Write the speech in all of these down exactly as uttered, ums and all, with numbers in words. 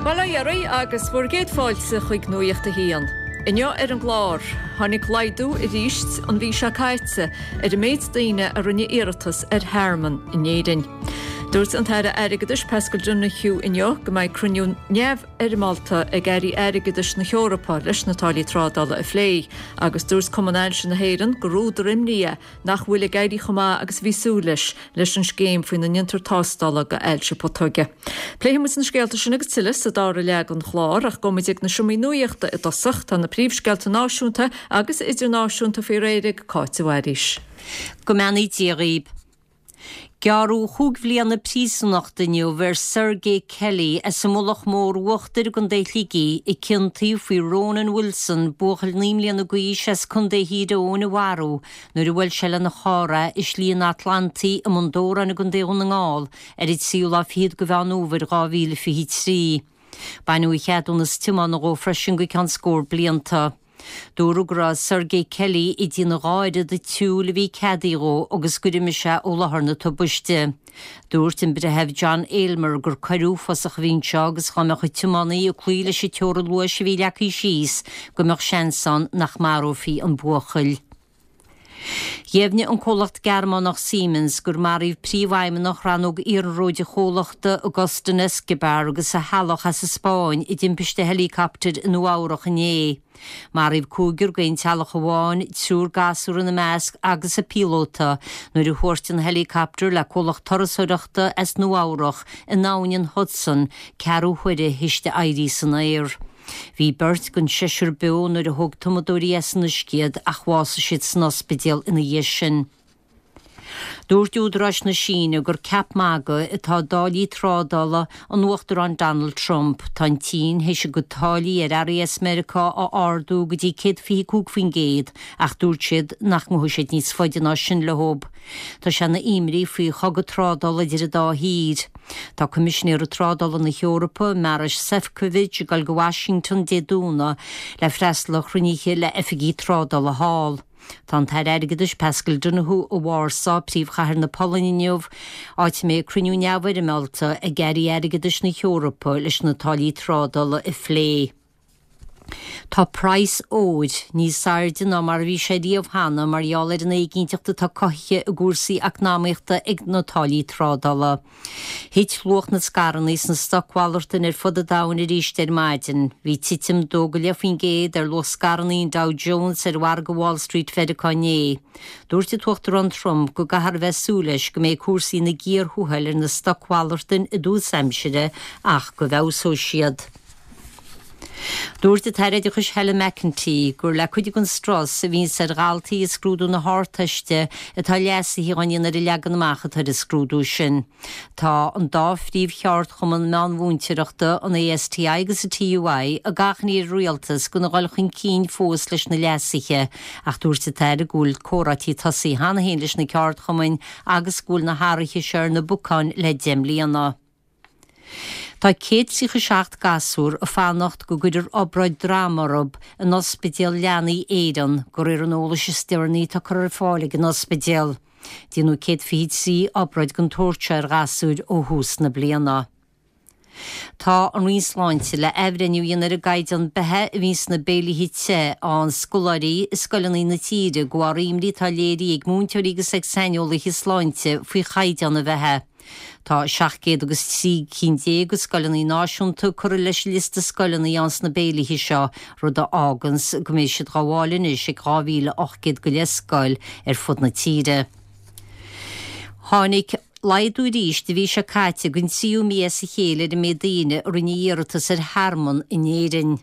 Bail ó Dhia oraibh agus bhur gcéad fáilte chuig Nuacht a hAon. Inniu ar an gclár, tháinig laghdú arís an mhí seo caite ar an méid daoine a rinne iarratas ar thearmann in Éirinn. Dúirt an tAire Airgeadais Paschal Donohoe inniu go mbeidh cruinniú neamhfhoirmeálta ag airí airgeadais na hEorpa leis na táillí trádála a phlé, agus dúirt Cumann Ailse na hÉireann gur údar imní é nach bhfuil ag éirí chomh maith agus a bhí súil leis leis an scéim faoina ndéantar tástála go ailse putóige. Pléifimid na scéalta sin agus tuilleadh sa dara leath den chlár ach gabhfaimid ag na seomraí nuachta i dtosach tá na príomhscéalta náisiúnta agus idirnáisiúnta faoi réir ag Cáit Mhaoilís. Go mbeannaí Dia dhaoibh. Gearradh chúig bhliana príosúnachta inniu ar Sergei Kelly as an Mullach Mór Uachtair i gContae Shligigh a ciontaíodh faoi Ronan Wilson, buachaill naoi mbliana d'aois as Contae Thír Eoghain a mharú nuair a bhuail sé lena charr é i Slí an Atlantaigh i mBun Dobhráin i gContae Dhún na nGall ar an tríú lá fichead de Mheán Fhómhair dhá mhíle fiche trí. Baineadh a cheadúnas tiomána dhó freisin go ceann scór blianta. Dúradh go raibh Sergei Kelly ag déanamh dhá oiread an tsiúil a bhí ceadaithe dhó agus gur imigh sé ó láthair na tubaiste. Dúirt an Breitheamh John Aylmer gur coir uafásach a bhí anseo agus dá mbeadh an tiománaí ag cloí leis an teorainn luais a bhí leagtha síos go mbeadh seans ann nach marófaí an buachaill. Dheimhnigh an comhlacht Gearmánach Siemens gur maraíodh príomhfheidhmeannach rannóg iarnróid an chomhlachta Agustin Escobar agus a theaghlach as an Spáinn i dtimpiste heileacoptair i Nua Eabhrach inné. Maraíodh cúigear d'aon teaghlach amháin, triúr gasúr ina measc agus an píolóta nuair a thuairt an heileacoptar le comhlacht turasóireachta as Nua Eabhrach in abhainn an Hudson ceathrú huaire théis di éirí san aer. Bhí beirt den seisear beo nuair a thóg tumadóirí as an uisce iad ach bhásaigh siad san ospidéal ina dhiaidh sin. Dúirt údaráis na Síne gur ceap magaidh atá i dtáillí trádála an Uachtaráin Donald Trump. Tá an tSín théis a gcuid táillí ar earraí as Meiriceá a ardú go dtí céad fiche cúig faoin gcéad ach dúirt siad nach ngabhfaidh siad níos faide ná sin leo. Tá sé ina imní faoi chogadh trádála idir an dá thír. Tá Coimisinéir Trádála na hEorpa, Maroš Šefčovič, ag dul go Washington Dé Domhnaigh le freastal ar chruinnithe le oifigigh trádála thall. Tá an tAire Airgeadais Paschal Donohoe i Warsaw, príomhchathair na Polainne inniu, áit a mbeidh cruinniú neamhfhoirmeálta ag airí airgeadais na hEorpa leis na táillí trádála a phlé. Tá praghas óir níos airde ná mar a bhí sé riamh cheana mar gheall ar an éiginnteacht atá cothaithe i gcúrsaí eacnamaíochta ag na táillí trádála. Thit luach na scaireanna sna stocmhalartáin ar fud an domhain arís ar maidin. Bhí titim dó go leith faoin gcéad ar luach scaireanna an Dow Jones ar mhargadh Wall Street Mheiriceá inné. Dúirt an tUachtarán Trump go gcaithfear a bheith ag súil leis go mbeidh cúrsaí ina gcíor thuathail ar na stocmhalartáin i dtús aimsire ach go bhfeabhsóidh siad. Dúirt an tAire Oideachais Helen McEntee gur le cuid den strus a bhíonns ar dhaltaí i scrúdú na hArdteiste atá leasuithe á ndéanamh ar an leagan amach atá ar an scrúdú sin. Tá an dá phríomhcheardchumann meánmhúinteoireachta, an ASTI agus an TUI, ag achainí ar an rialtas gan a dhul chun cinn fós leis na leasuithe ach dúirt an tAire go bhfuil comhráití tosaithe cheana féin leis na ceardchumainn agus go bhfuil na hathruithe seo ar na bacáin le deich mbliana. Tá céad tríocha seacht gasúr ag fanacht go gcuirfear obráid droma orthu in Ospidéal Leanaí Éireann, de réir an eolais is deireanaí atá curtha ar fáil ag an ospidéal. Déanadh céad fiche trí obráid den tsórt seo ar ghasúir ó thús na bliana. Tá an Roinn Sláinte le athbhreithniú a dhéanamh ar an gcaighdeán beatha a bhíonn sna béilithe te a fhaigheann scoláirí i scoileanna na tíre de bharr imní atá léirithe ag múinteoirí agus ag saineolaithe sláinte faoi chaighdeán an bheatha. Tá seacht gcéad agus trí cinn déag de scoileanna náisiúnta curtha leis an liosta scoileanna a fhaigheann sna béilithe seo, rud a fháganns go mbeidh siad dhá bhfáil anois ag dhá mhíle ocht gcéad go leith scoil ar fud na tíre. Tháinig laghdú arís an mhí seo caite don tríú mí as a chéile ar an méid daoine a rinne iarratas ar thearmann in Éirinn.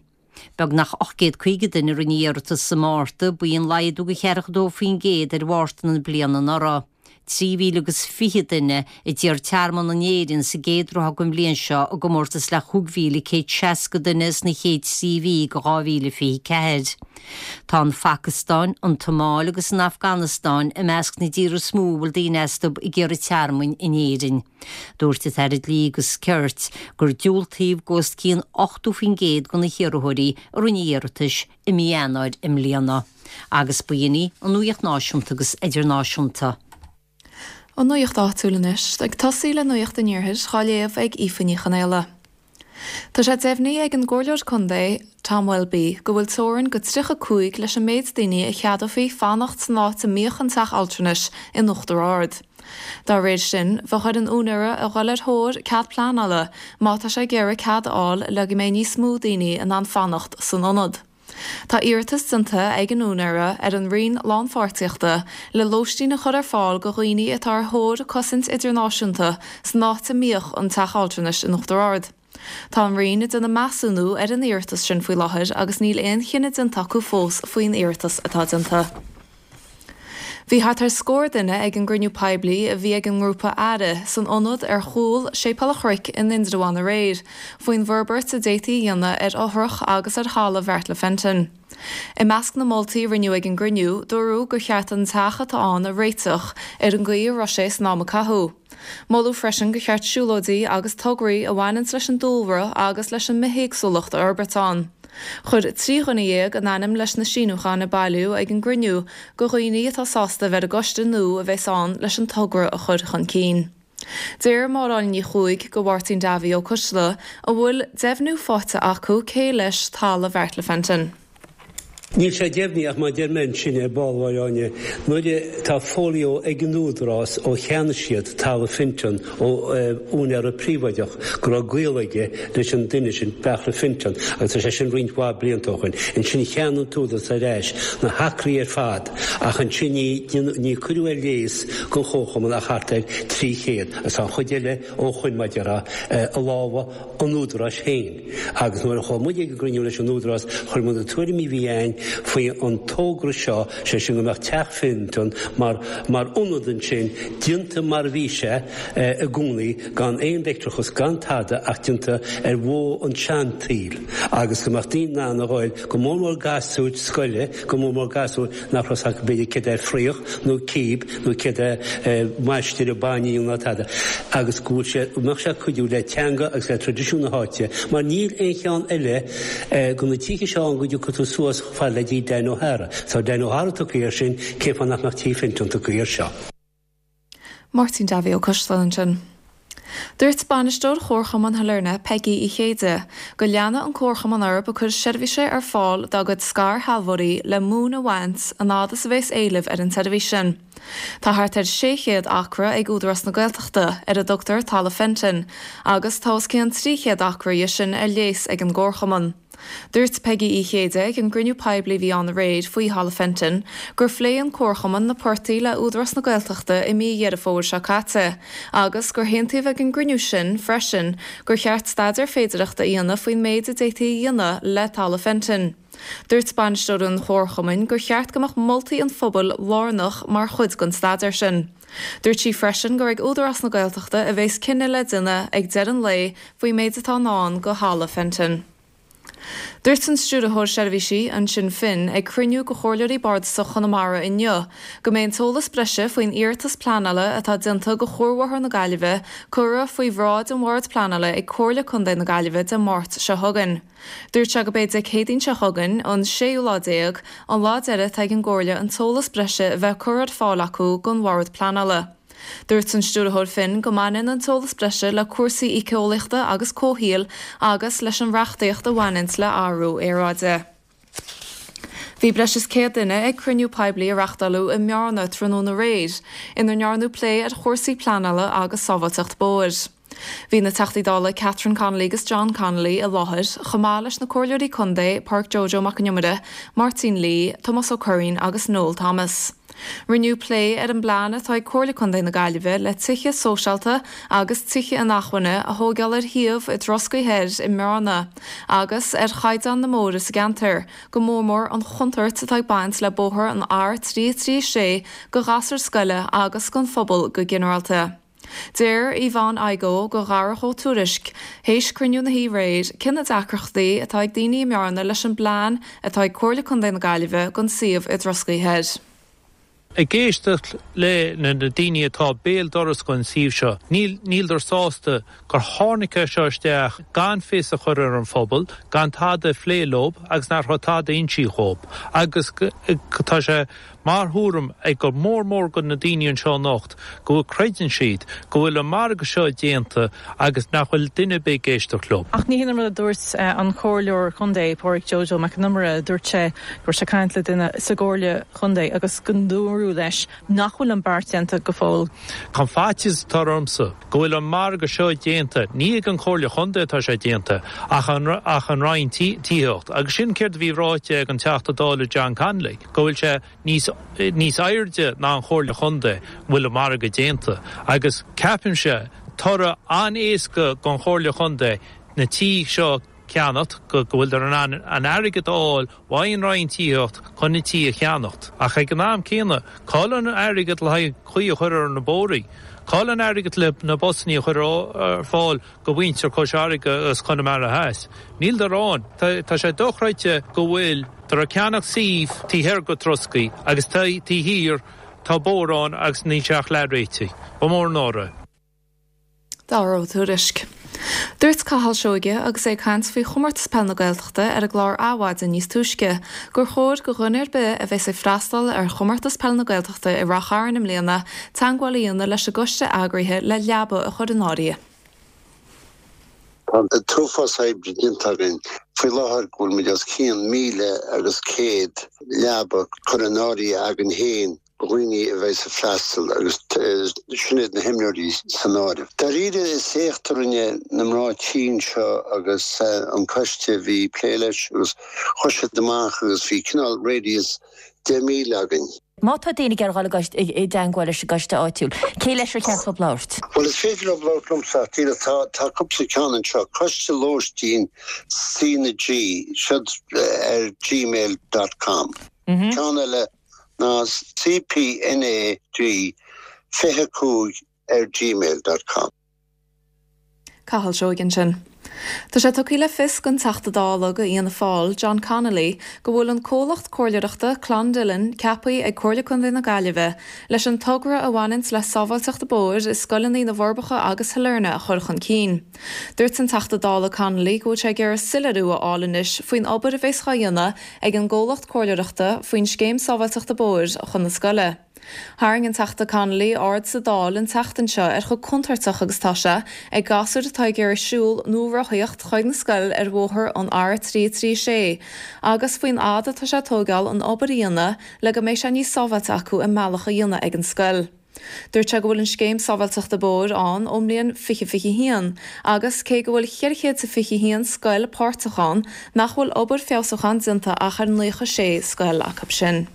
Beagnach ocht gcéad caoga duine a rinne iarratas sa Márta, b'in laghdú de cheathracha dó faoin gcéad ar Mhárta na bliana anuraidh. Trí mhíle agus fiche duine a d'iarr tearmann in Éirinn sa gcéad ráithe den bhliain seo i gcomórtas le chúig mhíle céad seasca duine sna chéad trí mhí de dhá mhíle fiche ceathair. Tá an Phacastáin, an tSomáil agus an Afganastáin i measc na dtíortha is mó a bhfuil daoine astu ag iarraidh tearmainn in Éirinn. Dúirt an tAire Dlí agus Cirt gur diúltaíodh d'os cionn ochtó faoin gcéad de na hiarrthóirí a rinne iarratais i mí Eanáir i mbliana. Agus b'in í an nuacht náisiúnta agus idirnáisiúnta. An nuacht áitiúil anois, ag tosaí le nuacht an iarthair, á léamh ag Aoife Ní Chonaola. Tá sé deimhnithe ag an gComhairleoir Contae Tom Welby go bhfuil teorainn go tríocha cúig leis an méid daoine a cheadófaí fanacht san áit a mbíodh an teach altranais in Uachtar Ard. Dá réir sin, bheadh ar an úinéara a dhul ar thóir cead pleanála má tá sé ag iarraidh cead a fháil le go mbeidh níos mó daoine in ann fanacht san ionad. Tá iarratas déanta ag an úinéara ar an Roinn Lánpháirtíochta le lóistín a chur ar fáil go dhaoine atá ar thóir cosaint idirnáisiúnta san áit a mbíodh an teach altranais in Uachtar Ard. Tá an Roinn ag déanamh measúnú ar an iarratas sin faoi láthair agus níl aon chinneadh déanta acu fós faoin iarratas atá déanta. Bhí thart ar scór duine ag an gcruinniú poiblí a bhí ag an ngrúpa Aire san ionad ar chúl Séipéal an Chnoic in Indreabhán aréir faoin bhforbairt a d'fhéadfaí a dhéanamh ar fhothrach agus ar thalamh Bheartla Fenton. I measc na moltaí a rinneadh ag an gcruinniú, dúradh gur cheart an teach atá ann a réiteach ar an gcaoi a raibh sé san am a caitheadh. Moladh freisin gur cheart siúlóidí agus tograí a bhaineanns leis an dúlra agus leis an mbithéagsúlacht a fhorbairt ann. Chuir trí dhuine dhéag a n-ainm leis na síniúcháin a bailíodh ag an gcruinniú go dhaoine atá sásta a bheith ar an gcoiste nua a bheas ann leis an togra a chur chun cinn. Deir Máire Áine Ní Chuaig go Mháirtín Davy Ó Coistealbha an bhfuil deimhniú faighte acu cé leis talamh Bheartla Fenton. Níl sé deimhnithe ach mar a deir mé ansin ar ball, a Mháire Áine, nuair a tá folio ag an Údarás ó cheannaigh siad talamh Fenton ó úinéara príobháideach go raibh gaol aige leis an duine sin, Beartla Fenton, agus tá sé sin roinnt mhaith blianta ó shoin. Ansin cheannaigh an tÚdarás ar ais na hacraí ar fad ach ansin ní ní cuireadh ar léas don Chomharchumann ach thart ar trí chéad agus tá an chuid eile ó shoin mar a déarfá i lámha an Údaráis féin. Agus nuair a chuaigh muid ag an gcruinniú leis an Údarás, chuir muid na tuairimí a bhí againn faoi an togra seo, sé sin go mbeadh Teach Fenton mar mar ionad ansin, déanta mar a bhí sé i gcónaí, gan aon leictreachas, gan tada ach déanta ar mhodh an tseantsaoil agus go mbeadh daoine in ann a ghoil, go mór mór gasúir scoile, go mór mór gasúir nach raibh 's acu b'fhéidir céard é fraoch nó cíb nó céard é maistire bainne ná tada agus go bhfuil sé, go mbeadh sé ag cuidiú le teanga agus le traidisiún na háite mar níl aon cheann eile de na tithe seo ann go dtiocfaidh tú suas chomh fada le dtí Dan O'Hara. Tá Dan O'Hara tugtha air sin, cén fáth nach mbeadh Tigh Fenton tugtha air seo? Máirtín Davy Ó Coistealbha ansin. Dúirt bainisteoir Chomharchumann Shailearna, Peigí Uí Chéide, go leanfaidh an Comharchumann orthu ag cur seirbhíse ar fáil dá gcuid scairshealbhóirí le móin a bhaint an fhad is a bheas éileamh ar an tseirbhís sin. Tá thart ar sé chéad acra ag Údarás na Gaeltachta, ar a dtugtar Talamh Fenton, agus tá os cionn trí chéad acra dhe sin ar léas ag an gComharchumann. Dúirt Peigí Uí Chéide ag an gcruinniú poiblí a bhí ann aréir faoi Thalamh Fenton gur phléigh an Comharchumann na portaigh le Údarás na Gaeltachta i mí Dheireadh Fómhair seo caite agus gur haontaíodh ag an gcruinniú sin freisin gur cheart staidéar féidearthachta a dhéanamh faoin méid a d'fhéadfaí a dhéanamh le Talamh Fenton. Dúirt bainisteoir an Chomharchumainn gur cheart go mbeadh moltaí an phobail lárnach mar chuid den staidéar sin. Dúirt sí freisin gur ag Údarás na Gaeltachta a bheas cinneadh le déanamh ag deireadh an lae faoin méid atá i ndán do Thalamh Fenton. Dúirt an Stiúrthóir Seirbhísí, Uinseann Finn, ag cruinniú de Chomhairleoirí Bardasach Chonamara inniu go mbeidh an t-eolas breise faoin iarratas pleanála atá déanta do Chuarbhóthar na Gaillimhe curtha faoi bhráid an Bhoird Pleanála ag Comhairle Contae na Gaillimhe Dé Máirt seo chugainn. Dúirt sé go b'é Dé Céadaoin seo chugainn, an séú lá déag, an lá deiridh atá ag an gComhairle an t-eolas breise a bheith curtha ar fáil acu don Bhord Pleanála. Dúirt an Stiúrthóir Finn go mbaineann an t-eolas breise le cúrsaí éiceolaíochta agus comhshaoil agus leis an reachtaíocht a bhaineanns le athrú aeráide. Bhí breis is céad duine ag cruinniú poiblí a reachtáladh i mBearna tráthnóna aréir, ina ndearnadh plé ar chúrsaí pleanála agus sábháilteacht bóthair. Bhí na Teachtaí Dála Catherine Connolly agus John Connolly i láthair, chomh maith leis na Comhairleoirí Contae Pádraic Joe Joe Mac Con Iomaire, Máirtín Lee, Tomás Ó Curraoin agus Noel Thomas. Rinneadh plé ar an bplean atá ag Comhairle Contae na Gaillimhe le tithe sóisialta agus tithe inacmhainne a thóigeáil ar shuíomh i dTroscaí Thoir i mBearna agus ar chaighdeán na mbóithre sa gceantar, go mór mór an chontúirt atá ag baint le bóthar an R trí trí sé do ghasúir scoile agus don phobal go ginearálta. Deir Yvonne Igoe go Dharach Ó Tuairisg, théis cruinniú na hoíche aréir, cé na deacrachtaí atá ag daoine i mBearna leis an bplean atá ag Comhairle Contae na Gaillimhe don suíomh i dTroscaí Thoir. Ag éisteacht le na daoine atá béal dorais den suíomh seo, níl níldar sásta gur tháinig é seo isteach gan fios a chur ar an phobal, gan tada a phlé leo agus nach raibh tada insithe dhóibh agus tá sé Mar thuairim ag go mór mór go na daoine anseo anocht go bhfuil creideann siad go bhfuil an margadh seo déanta agus nach bhfuil duine ar bith ag éisteacht leo. Ach ní hin an rud a dúirt an Comhairleoir Contae Pádraig Joe Mac Con Iomaire dúirt sé go raibh sé ag caint le duine sa gComhairle Chontae agus go ndúradh leis nach bhfuil an beart déanta go fóill. Tá faitíos atá ormsa go bhfuil an margadh seo déanta ní ag an Chomhairle Chontae atá sé déanta ach an ach an Roinn Tithíochta agus sin céard a bhí ráite ag an Teachta Dála John Connolly go bhfuil sé níos níos airde ná an Chomhairle Chontae bhfuil an margadh déanta agus ceapaimse toradh an-éasca don Chomhairle Chontae na tithe seo ceannacht go go bhfuil an an airgead á fháil ón Roinn Tithíochta chun na tithe a cheannacht. Ach ag an am céanna cá bhfuil an airgead le haghaidh caoi a chur ar na bóithre. Cá bhfuil an airgead le na busanna a chur ar fáil go mhuintir Chois Fharraige agus Chonamara Theas. Níl ann Tá sé dochreidte go bhfuil tar a ceannach suíomh taobh thoir go troscaí agus taobh thiar tá bóthar ann agus níl sé ach leathréitithe. Ba mór an náire. Dara Ó Tuairisg. Dúirt Cathal Seoige agus é ag caint faoi chomórtas peil na Gaeltachta ar an gclár Adhmhaidin níos túisce, gur chóir go dhuine ar bith a bheas ag freastal ar chomórtas peil na Gaeltachta i Ráth Chairn i mbliana teagmháil a dhéanamh leis an gcoiste eagraithe le leaba a chur in áirithe. Tá an t-uafás oibre déanta againn faoi láthair go bhfuil muid os cionn míle agus céad leaba curtha in áirithe againn féin do dhaoine a bheidh ag freastal agus sin iad na himreoirí san áireamh. Dáiríre is éacht a rinne na mná tí seo agus an coiste bhí plé leis agus chuaigh siad amach agus bhí cineál radius deich míle againn. Má tá daoine ag iarraidh i dteagmháil leis an gcoiste áitiúil, cé leis ar cheart labhairt? Well is féidir leo labhairt liomsa tá tá cúpla ceann anseo coiste lóistín C na G siad ar gmail dot com. Ceann eile ná CPNAG fiche cúig ar gmail dot com. Cathal Seoige ansin. Tá sé tugtha le fios don Teachta Dála do Fhianna Fáil, John Connolly, go bhfuil an comhlacht comhairleoireachta Clondillon ceaptha ag Comhairle Contae na Gaillimhe leis an togra a bhaineanns le sábháilteacht bóthair i scoileanna na bhForbacha agus Shailearna a chur chun cinn. Dúirt an Teachta Dála Connolly go bhfuil sé ag iarraidh soiléiriú a fháil anois faoin obair a bheas á dhéanamh ag an gcomhlacht comhairleoireachta faoin scéim sábháilteachta bóthair chun na scoile. Tharraing an Teachta Connolly aird sa Dáil an tseachtain seo ar chomh contúirteach agus tá sé ag gasúir atá ag iarraidh siúl nó rothaíocht chuig na scoil ar bhóthar an R trí trí sé, agus faoin fhad atá sé tógáil an obair a dhéanamh le go mbeidh sé níos sábháilte acu a mbealach a dhéanamh ag an scoil. Dúirt sé go bhfuil an scéim sábháilteachta bóthair ann ón mbliain fiche fiche haon, agus cé go bhfuil ceithre chéad fiche haon scoil páirteach ann nach bhfuil obair feabhsúcháin déanta ach ar naocha sé scoil acu sin.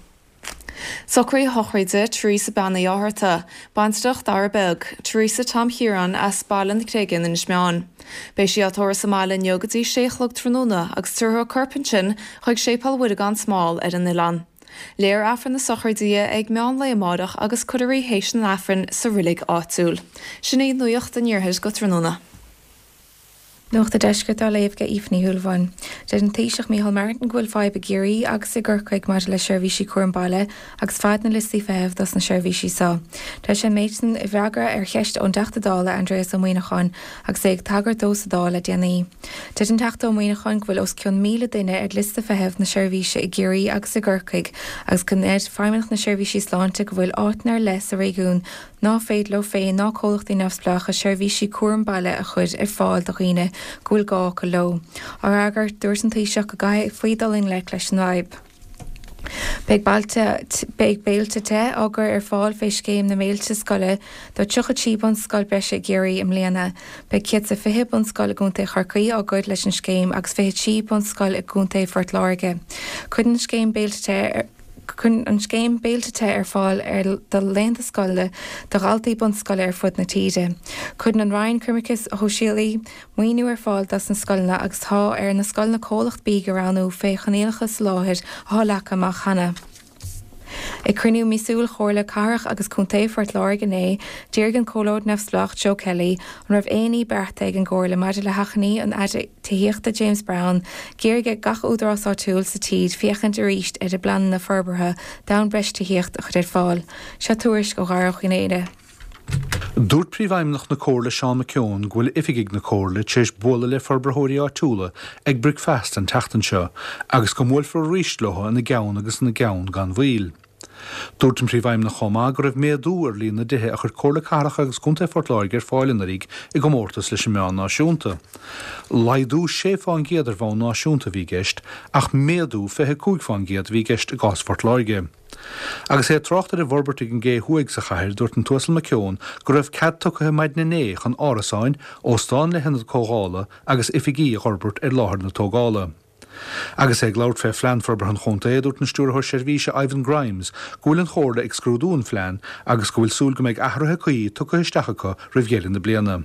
Socruithe sochraide Teresa Bean Uí Fhátharta, baintreach Dara Beag, Teresa Tom Chiaráin as Baile na Creige in Inis Meáin. Beidh sí á tórramh sa mbaile inniu go dtí sé a chlog tráthnóna agus tabharfar a corp ansin chuig Séipéal Mhuire gan Smál ar an oileán. Léifear Aifreann na sochraide di ag meán lae amárach agus cuirfear í théis an Aifrinn sa reilig áitiúil. Sin í nuacht an iarthair go tráthnóna. Nuacht an Deiscirt á léamh ag Aoife Ní Shúilleabháin. Deir an Taoiseach Micheál Martin go bhfuil fadhb i gCiarraí agus i gCorcaigh maidir le seirbhísí cúram baile agus fad na liostaí feithimh dos na seirbhísí seo. Deir sé an méid sin i bhfreagra ar cheist ón dTeachta Dála Aindrias Ó Muimhneacháin agus é ag tagairt dó sa Dáil le déanaí. Deir an Teachta Ó Muimhneacháin go bhfuil os cionn míle duine ar liosta feithimh na seirbhíse i gCiarraí agus i gCorcaigh agus go ndeir Feidhmeannacht na Seirbhísí Sláinte go bhfuil áiteanna ar leith sa réigiún ná féidir leo féin ná comhlachtaí neamhspleácha seirbhísí cúram baile a chur ar fáil do dhaoine go bhfuil gá acu leo. Á fhreagairt dúirt an Taoiseach go gcaithfí dul i ngleic leis an bhfadhb. Beidh bailte beidh béilte te á gcur ar fáil fé scéim na mbéilte scoile do tríocha trí bunscoil breise i gCiarraí i mbliana. Beidh céad is fiche bunscoil i gContae Chorcaí á gcur leis an scéim agus fiche trí bunscoil i gContae Phort Láirge. Cuireann an scéim béilte te Cuireann an scéim béilte te ar fáil ar do laethanta scoile do dhaltaí bunscoile ar fud na tíre. Cuireann an Roinn Coimirce Sóisialaí maoiniú ar fáil dos na scoileanna agus tá ar na scoileanna comhlacht bídh a roghnú fé choinníollacha soláthair atá leagtha amach cheana. Ag cruinniú míosúil Chomhairle Cathrach agus Contae Phort Láirge inné, d'fhiafraigh an Comhairleoir Neamhspleách Joe Kelly an raibh aon ní beartaithe ag an gComhairle maidir le hachainí an Aire Tithíochta James Browne, ag iarraidh ar gach údarás áitiúil sa tír féachaint arís ar a bpleananna forbartha d'fhonn breis tithíocht a chur ar fáil. Seo tuairisc ó Dhara Ó Conaola. Dúirt Príomhfheidhmeannach na Comhairle Seán McKeown go bhfuil oifigigh na Comhairle tar éis bualadh le forbarthóirí áitiúla ag bricfeasta an tseachtain seo agus go mbuailfear arís leo ina gceann agus ina gceann gan mhoill. Dúirt an Príomhfheidhmeannach chomh maith go raibh méadú ar líon na dtithe a chuir Comhairle Cathrach agus Contae Phort Láirge ar fáil anuraidh i gcomórtas leis an meán náisiúnta. Laghdú sé fán gcéad ar bhonn náisiúnta a bhí i gceist, ach méadú fiche cúig fán gcéad a bhí i gceist i gcás Phort Láirge. Agus é ag trácht ar an bhforbairt ag an gCé Thuaidh sa chathair, dúirt an tUasal McKeown go raibh cead tugtha maidin inné chun árasáin, óstán le hionad comhdhála agus oifigí a fhorbairt ar láthair na tógála. Agus é ag labhairt fé Phlean Forbartha an Chontae, dúirt an Stiúrthóir Seirbhíse Ivan Grimes go bhfuil an Chomhairle ag scrúdú an phlean agus go bhfuil súil go mbeidh athruithe cuí tugtha isteach acu roimh dheireadh na bliana.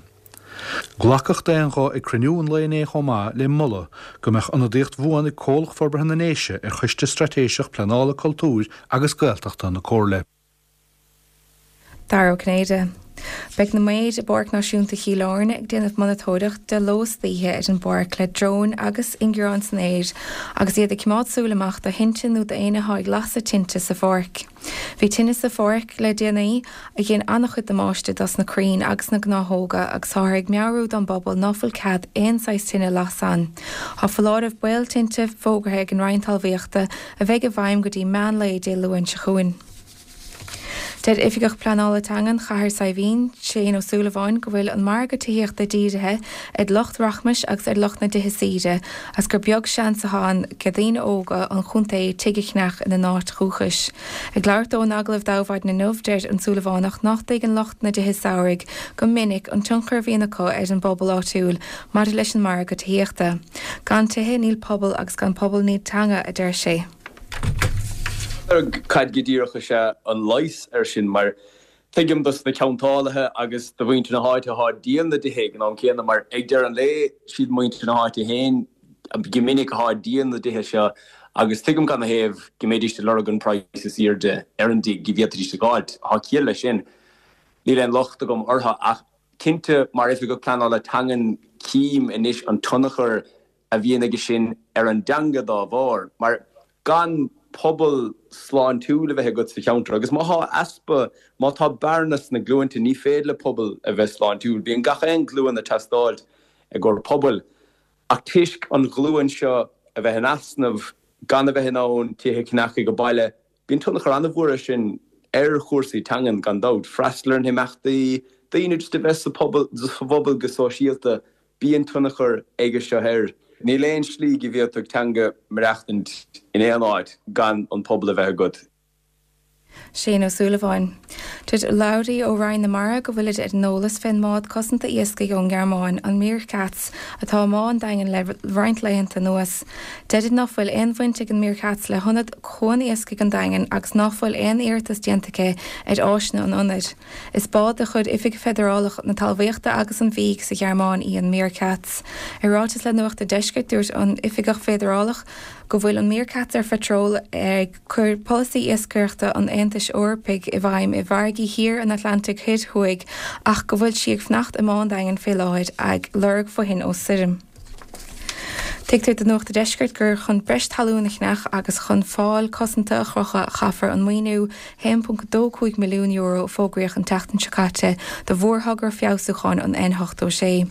Glacadh d'aon ghuth ag cruinniú an lae inné chomh maith le moladh go mbeadh ionadaíocht bhuan ag Comhlacht Forbartha na nDéise ar Choiste Straitéiseach Pleanála Cultúir agus Gaeltachta na Comhairle. Dara Ó Cinnéide. Beidh na maoid i bPáirc Náisiúnta Chill Airne ag déanamh monatóireacht de ló is d'oíche ar an bpáirc le dróin agus ingearáin san aer agus iad ag coimeád súil amach do thinte nó d'éinne atá ag lasadh tinte sa pháirc. Bhí tine sa pháirc le déanaí a dhein an-chuid damáiste dos na crainn agus na gnáthóga agus táthar ag meabhrú don bpobal ná fuil cead aon saghas tine a lasadh ann. Tá foláireamh baol tinte fógartha ag an Roinn Talmhaíochta a bheidh i bhfeidhm go dtí meán lae Dé Luain seo chugainn. Deir Oifigeach Pleanála Teangan Chathair Saidhbhín, Shane Ó Súilleabháin, go bhfuil an margadh tithíochta dírithe ar lucht rachmais agus ar lucht na dtithe saoire agus gur beag seans atá ann ag daoine óga an chontae tigh a cheannach ina n-áit dhúchais. Ag labhairt dó in agallamh d'Adhmhaidin inniu, deir an Súilleabhánach nach dtuigeann lucht na dtithe samhraidh go minic an tionchar a bhíonn acu ar an bpobal áitiúil maidir leis an margadh tithíochta. Gan tithe níl pobal agus gan pobal níl teanga, a deir sé. Cad go díreach is ea an leigheas air sin? Mar tuigim dos na ceantálaithe agus do mhuintir na háite atá ag díol na dtithe ag an am céanna, mar ag deireadh an lae, siad muintir na háite féin go minic atá ag díol na dtithe seo agus tuigim cad 'na thaobh go mbeidís ag lorg an praghas is airde ar an dtigh go bhféadfaidís a dh'fháilt. Tá ciall leis sin. Níl aon locht agam orthu ach cinnte mar Oifigeach Pleanála Teangan cím anois an tionchar a bhíonn aige sin ar an dteanga dá bharr, mar gan pobal sláintiúil a bheith agat sa cheantar, agus má thá easpa, má tá bearna sna glúinte, ní féidir le pobal a bheith sláintiúil. Bíonn gach aon ghlúin ag teastáilt i gcomhair pobail, ach toisc an ghlúin seo a bheith in easnamh, gan a bheith in ann tithe a cheannach ag baile, bíonn tionchar an-mhór air sin ar chúrsaí teangan, gan dabht. Freastal ar na himeachtaí, daoine just a bheith sa phobal, sa phobal go sóisialta. Bíonn tionchar aige seo air. Níl aon slí go bhféadfadh teanga maireachtaint in aon áit gan an pobal a bheith agat. Shane Ó Súilleabháin. Deir urlabhraí ó Roinn na Mara go bhfuilid ar an eolas fén mbád cosanta iascaigh ón nGearmáin, an Meerkatz, atá i mBá an Daingin le roinnt laethanta anuas. Deirid ná fuil aon bhaint ag an Meerkatz le hionad Chuan Iascaigh an Daingin agus ná fuil aon iarratas déanta aici ar áiseanna an ionaid. Is bád de chuid Oifig Feidearálach na Talmhaíochta agus an Bhídh sa Ghearmáin í an Meerkatz. I ráiteas le Nuacht an Deiscirt dúirt an Oifigeach Feidearálach go bhfuil an Meerkatz ar phatról ag cur polasaí iascaireachta an Aontais Eorpaigh i bhfeidhm i bhfarraigí thiar an Atlantaigh Thoir Thuaidh ach go bhfuil sí ag fanacht i mBá an Daingin fé láthair ag lorg fothoinn ó stoirm. Tuigtear do Nuacht a' Deiscirt gur chun breis talún a cheannach agus chun fál cosanta a chrochadh a chaithfear an maoiniú a haon ponc dó cúig milliún euro a fógraíodh an tseachtain seo caite do mhórthogra feabhsúcháin an N ochtó sé.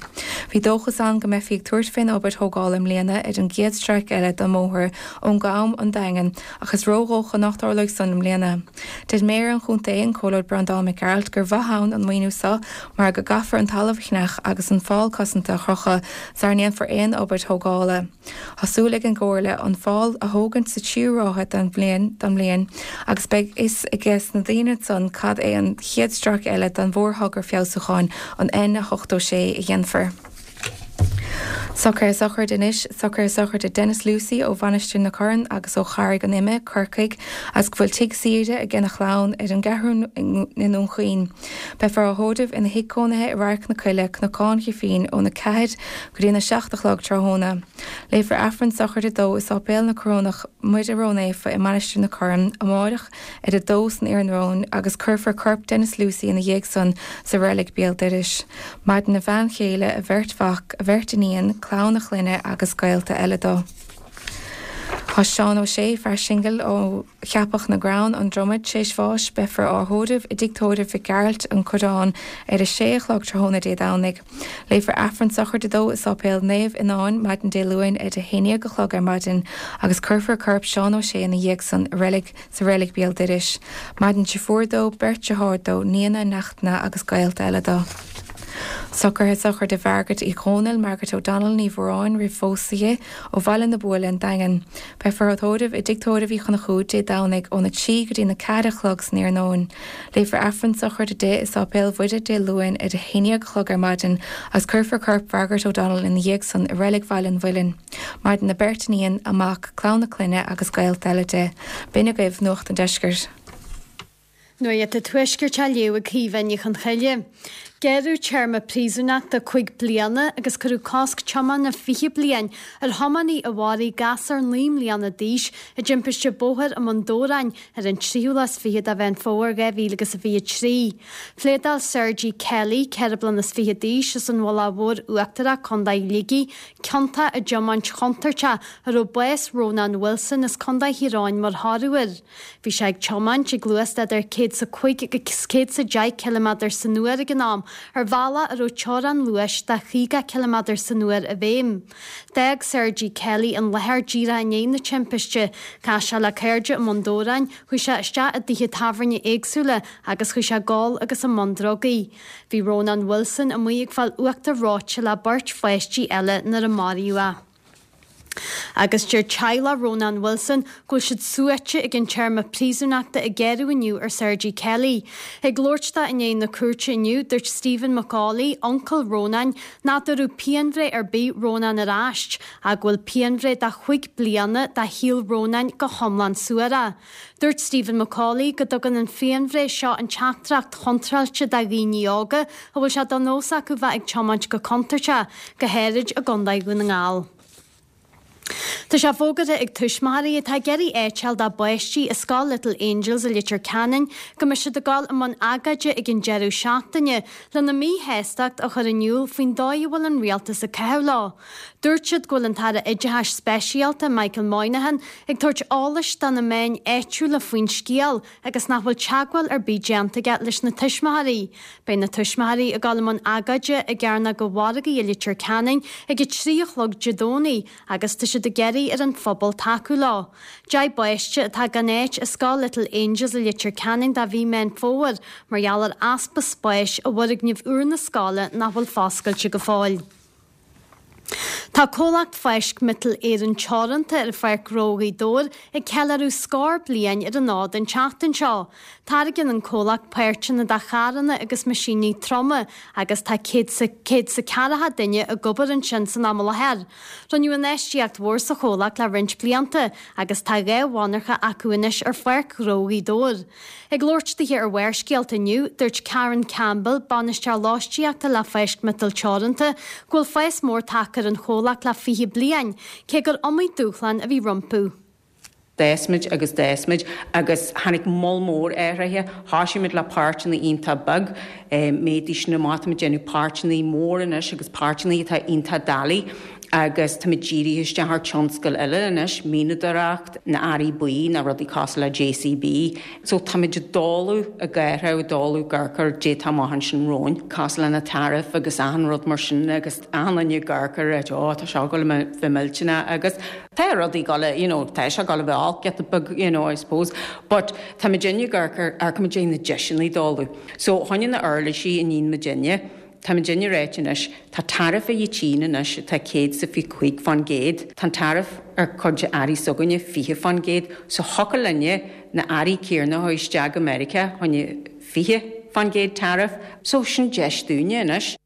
Bhí dóchas ann go mbeifí ag tabhairt fén obair thógála i mbliana ar an gcéad stráice eile den mbóthar ón gCam, An Daingean ach is ródhócha nach dtarlóidh san i mbliana. Deir Méara an chontae, an Comhairleoir Breandán Mac Gearailt, gur mhaith ann an maoiniú seo mar go gcaithfear an talamh a cheannach agus an fál cosanta a chrochadh sara ndéanfar aon obair thógála. Tá súil ag an gComhairle an fál a thógaint sa tríú ráithe den bhliain den bhliain agus beidh fhios ages na daoine ansan cad é an chéad stráice eile den mhórthogra feabhsúcháin an N ochtó sé a dhéanfar. Socruithe sochraide anois, Socruithe sochraide Denis Lucey ó Mhainistir na Corann agus ó Charraig an Ime, Corcaigh, agus go bhfuil tigh saoire aige na chlann ar an gCeathrú i nDún Chaoin. Beifear á thórramh ina thigh cónaithe i Radharc na Coille, Cnocán Ghriffín, óna ceathair go dtí an a seacht a chlog tráthnóna. Léifear Aifreann sochraide dó i Sáipéal na Corónach Muire Ró-Naofa i Mainistir na Corann amáireach ar a dó san iarnóin agus cuirfear corp Denis Lucey ina dhiaidh san sa reilig béal dorais. Maireann a bhean chéile, a bheirt mhac, a bheirt iníon, clann a chlainne agus gaolta eile dó. Tá Seán Ó Sé fear singil ó Cheapach na gCrann an Dromad tar éis bháis beifear á thórramh i dtigh tórraimh Mhic Gearailt an Coireán ar a sé a chlog tráthnóna Dé Domhnaigh. Léifear Aifreann sochraide dó i Sáipéal Naomh Fhionáin maidin Dé Luain ar a haon déag a chlog ar maidin agus cuirfear corp Seán Ó Sé ina dhiaidh san i reilig sa reilig Béal Dorais. Maireann deirfiúr dó, beirt deartháir dó, nianna, neachtanna agus gaolta eile dó. Socruithe sochraide Mhargaret Uí Dhónaill, Margaret O'Donnell Ní Mhóráin roimh phósadh di, ó Bhaile na Buaile an Daingean. Beifear á tórramh i dtigh tórraimh Uí Chonchúir Dé Domhnaigh óna trí go dtí na ceathair a chlog san iarnóin. Léifear Aifreann sochraide di i Sáipéal Mhuire Dé Luain ar a haon déag a chlog ar maidin agus cuirfear corp Mhargaret O'Donnell ina dhiaidh san i reilig Bhaile an Mhuilinn. Maireann a beirt iníon, a mac, clann a clainne agus gaolta eile di. B'in agaibh Nuacht an Deiscirt. Nuacht an Tuaiscirt á léamh ag Caoimhe Ní Chonchoille. Gearradh téarma príosúnachta cúig bliana agus cuireadh cosc tiomána fiche bliain ar thiománaí a mharaigh gasúr naoi mbliana d'aois i dtimpiste bóthair i mBun Dobhráin ar an tríú lá is fiche de Mheán Fómhair dhá mhíle agus a fiche trí. Phléadáil Sergey Kelly, ceithre bliana is fiche d'aois, as an Mhullach Mhór Uachtarach, Contae Shligigh, ciontach i dtiomáint chontúirteach a raibh bás Rónán Wilson as Contae Thír Eoghain mar thoradh air. Bhí sé ag tiomáint ag luas de idir céad 's a cúig agus céad 's a deich ciliméadar san uair ag an am, ar bhealach a raibh teorainn luais de chaoga ciliméadar san uair i bhfeidhm. D'fhág Sergey Kelly an láthair díreach i ndiaidh na timpiste. Chas sé le cairde i mBun Dobhráin, chuaigh sé isteach i dtithe tábhairne éagsúla agus chuaigh sé ag ól agus i mbun drugaí. Bhí Rónán Wilson amuigh ag fáil uachtar reoite le beirt pháistí eile nuair a maraíodh é. Agus deir teaghlach Rónán Wilson go bhfuil siad suaite ag an téarma príosúnachta a gearradh inniu ar Sergey Kelly. Ag labhairt dó i ndiaidh na cúirte inniu, dúirt Stephen McAuley, uncail Rónáin, nach dtabharfadh pianbhreith ar bith Rónán ar ais, ach go bhfuil pianbhreith de chúig bliana de shaol Rónáin go hiomlán suarach. Dúirt Stephen McAuley go dtugann an phianbhreith seo an teachtaireacht chontráilte do dhaoine óga a bhfuil sé de nós acu bheith ag tiomáint go contúirteach, go háirid i gContae Dhún na nGall. Tá sé fógartha ag tuismitheoirí atá ag iarraidh áit a fháil dá bpáistí i Scoil Little Angels i Leitir Ceanainn go mbeidh siad ag dul i mbun agóide ag an deireadh seachtaine lena míshástacht a chur in iúl faoin dóigh a bhfuil an rialtas ag caitheamh leo. Dúirt siad go bhfuil an tAire Oideachais Speisialta Michael Moynihan ag tabhairt eolais do na meáin áitiúla faoin scéal agus nach bhfuil teagmháil ar bith déanta aige leis na tuismitheoirí. Beidh na tuismitheoirí ag dul i mbun agóide i gCearnóg an Mhargaidh i Leitir Ceanainn ag a trí a chlog Dé Domhnaigh agus tá siad ag iarraidh ar an phobal tacú leo. Deich bpáiste atá gan áit i Scoil Little Angels i Leitir Ceanainn do mhí Meán Fómhair mar gheall ar easpa spáis i bhfoirgneamh úr na scoile nach bhfuil foscailte go fóill. Tá comhlacht Fáisc Miotal Éireann Teoranta ar Pháirc Ghnó Ghaoth Dobhair ag ceiliúradh scór bliain ar an fhód an tseachtain seo. Táirgeann an comhlacht páirteanna do charranna agus meaisíní troma agus tá céad 's a ceathracha duine ag obair ansin san am i láthair. Rinneadh infheistíocht mhór sa chomhlacht le roinnt blianta agus tá dhá mhonarcha acu anois ar Pháirc Ghnó Ghaoth Dobhair. Ag labhairt dithe ar Bharrscéalta inniu, dúirt Karen Campbell, bainisteoir lóistíochta le Fáisc Miotal Teoranta, go bhfuil fás mór tagtha ar an chomhlacht le fiche bliain, cé gur iomaí dúshlán a bhí rompu. D'fhás muid agus d'fhás muid agus tháinig moll mór athraithe. Thosaigh muid le páirteanna iontach beag, méadaigh sin amach, táimid ag déanamh páirteanna mór anois agus páirteanna atá iontach doiligh agus táimid dírithe isteach ar tionscail eile anois, mianadóireacht, na earraí buí, na rudaí cosúil le JCB. So táimid ag dul, ag athrú, ag dul ag amharc ar caidé atá amach ansin romhainn, cosúil le na tariff agus achan rud mar sin agus achan duine ag amharc ar it, oh tá seo ag dul a bheith millteanach agus tá rudaí ag dul, you know, tá sé ag dul a bheith olc giota beag, you know, I suppose. But táimid ag amharc ar, amharcaimid ar na deiseanna ag dul. So choinnigh na uirlisí i ndiaidh muidinne, Tá muidinne ráite anois, tá tariff ag an tSín anois atá céad 's a fiche cúig fán gcéad. Tá an tariff ar cuid de earraí s'againne fiche fán gcéad. So thiocfadh linne na earraí céarna a chur isteach go Meiriceá choinne fiche fán gcéad tariff. So sin deis dúinne anois.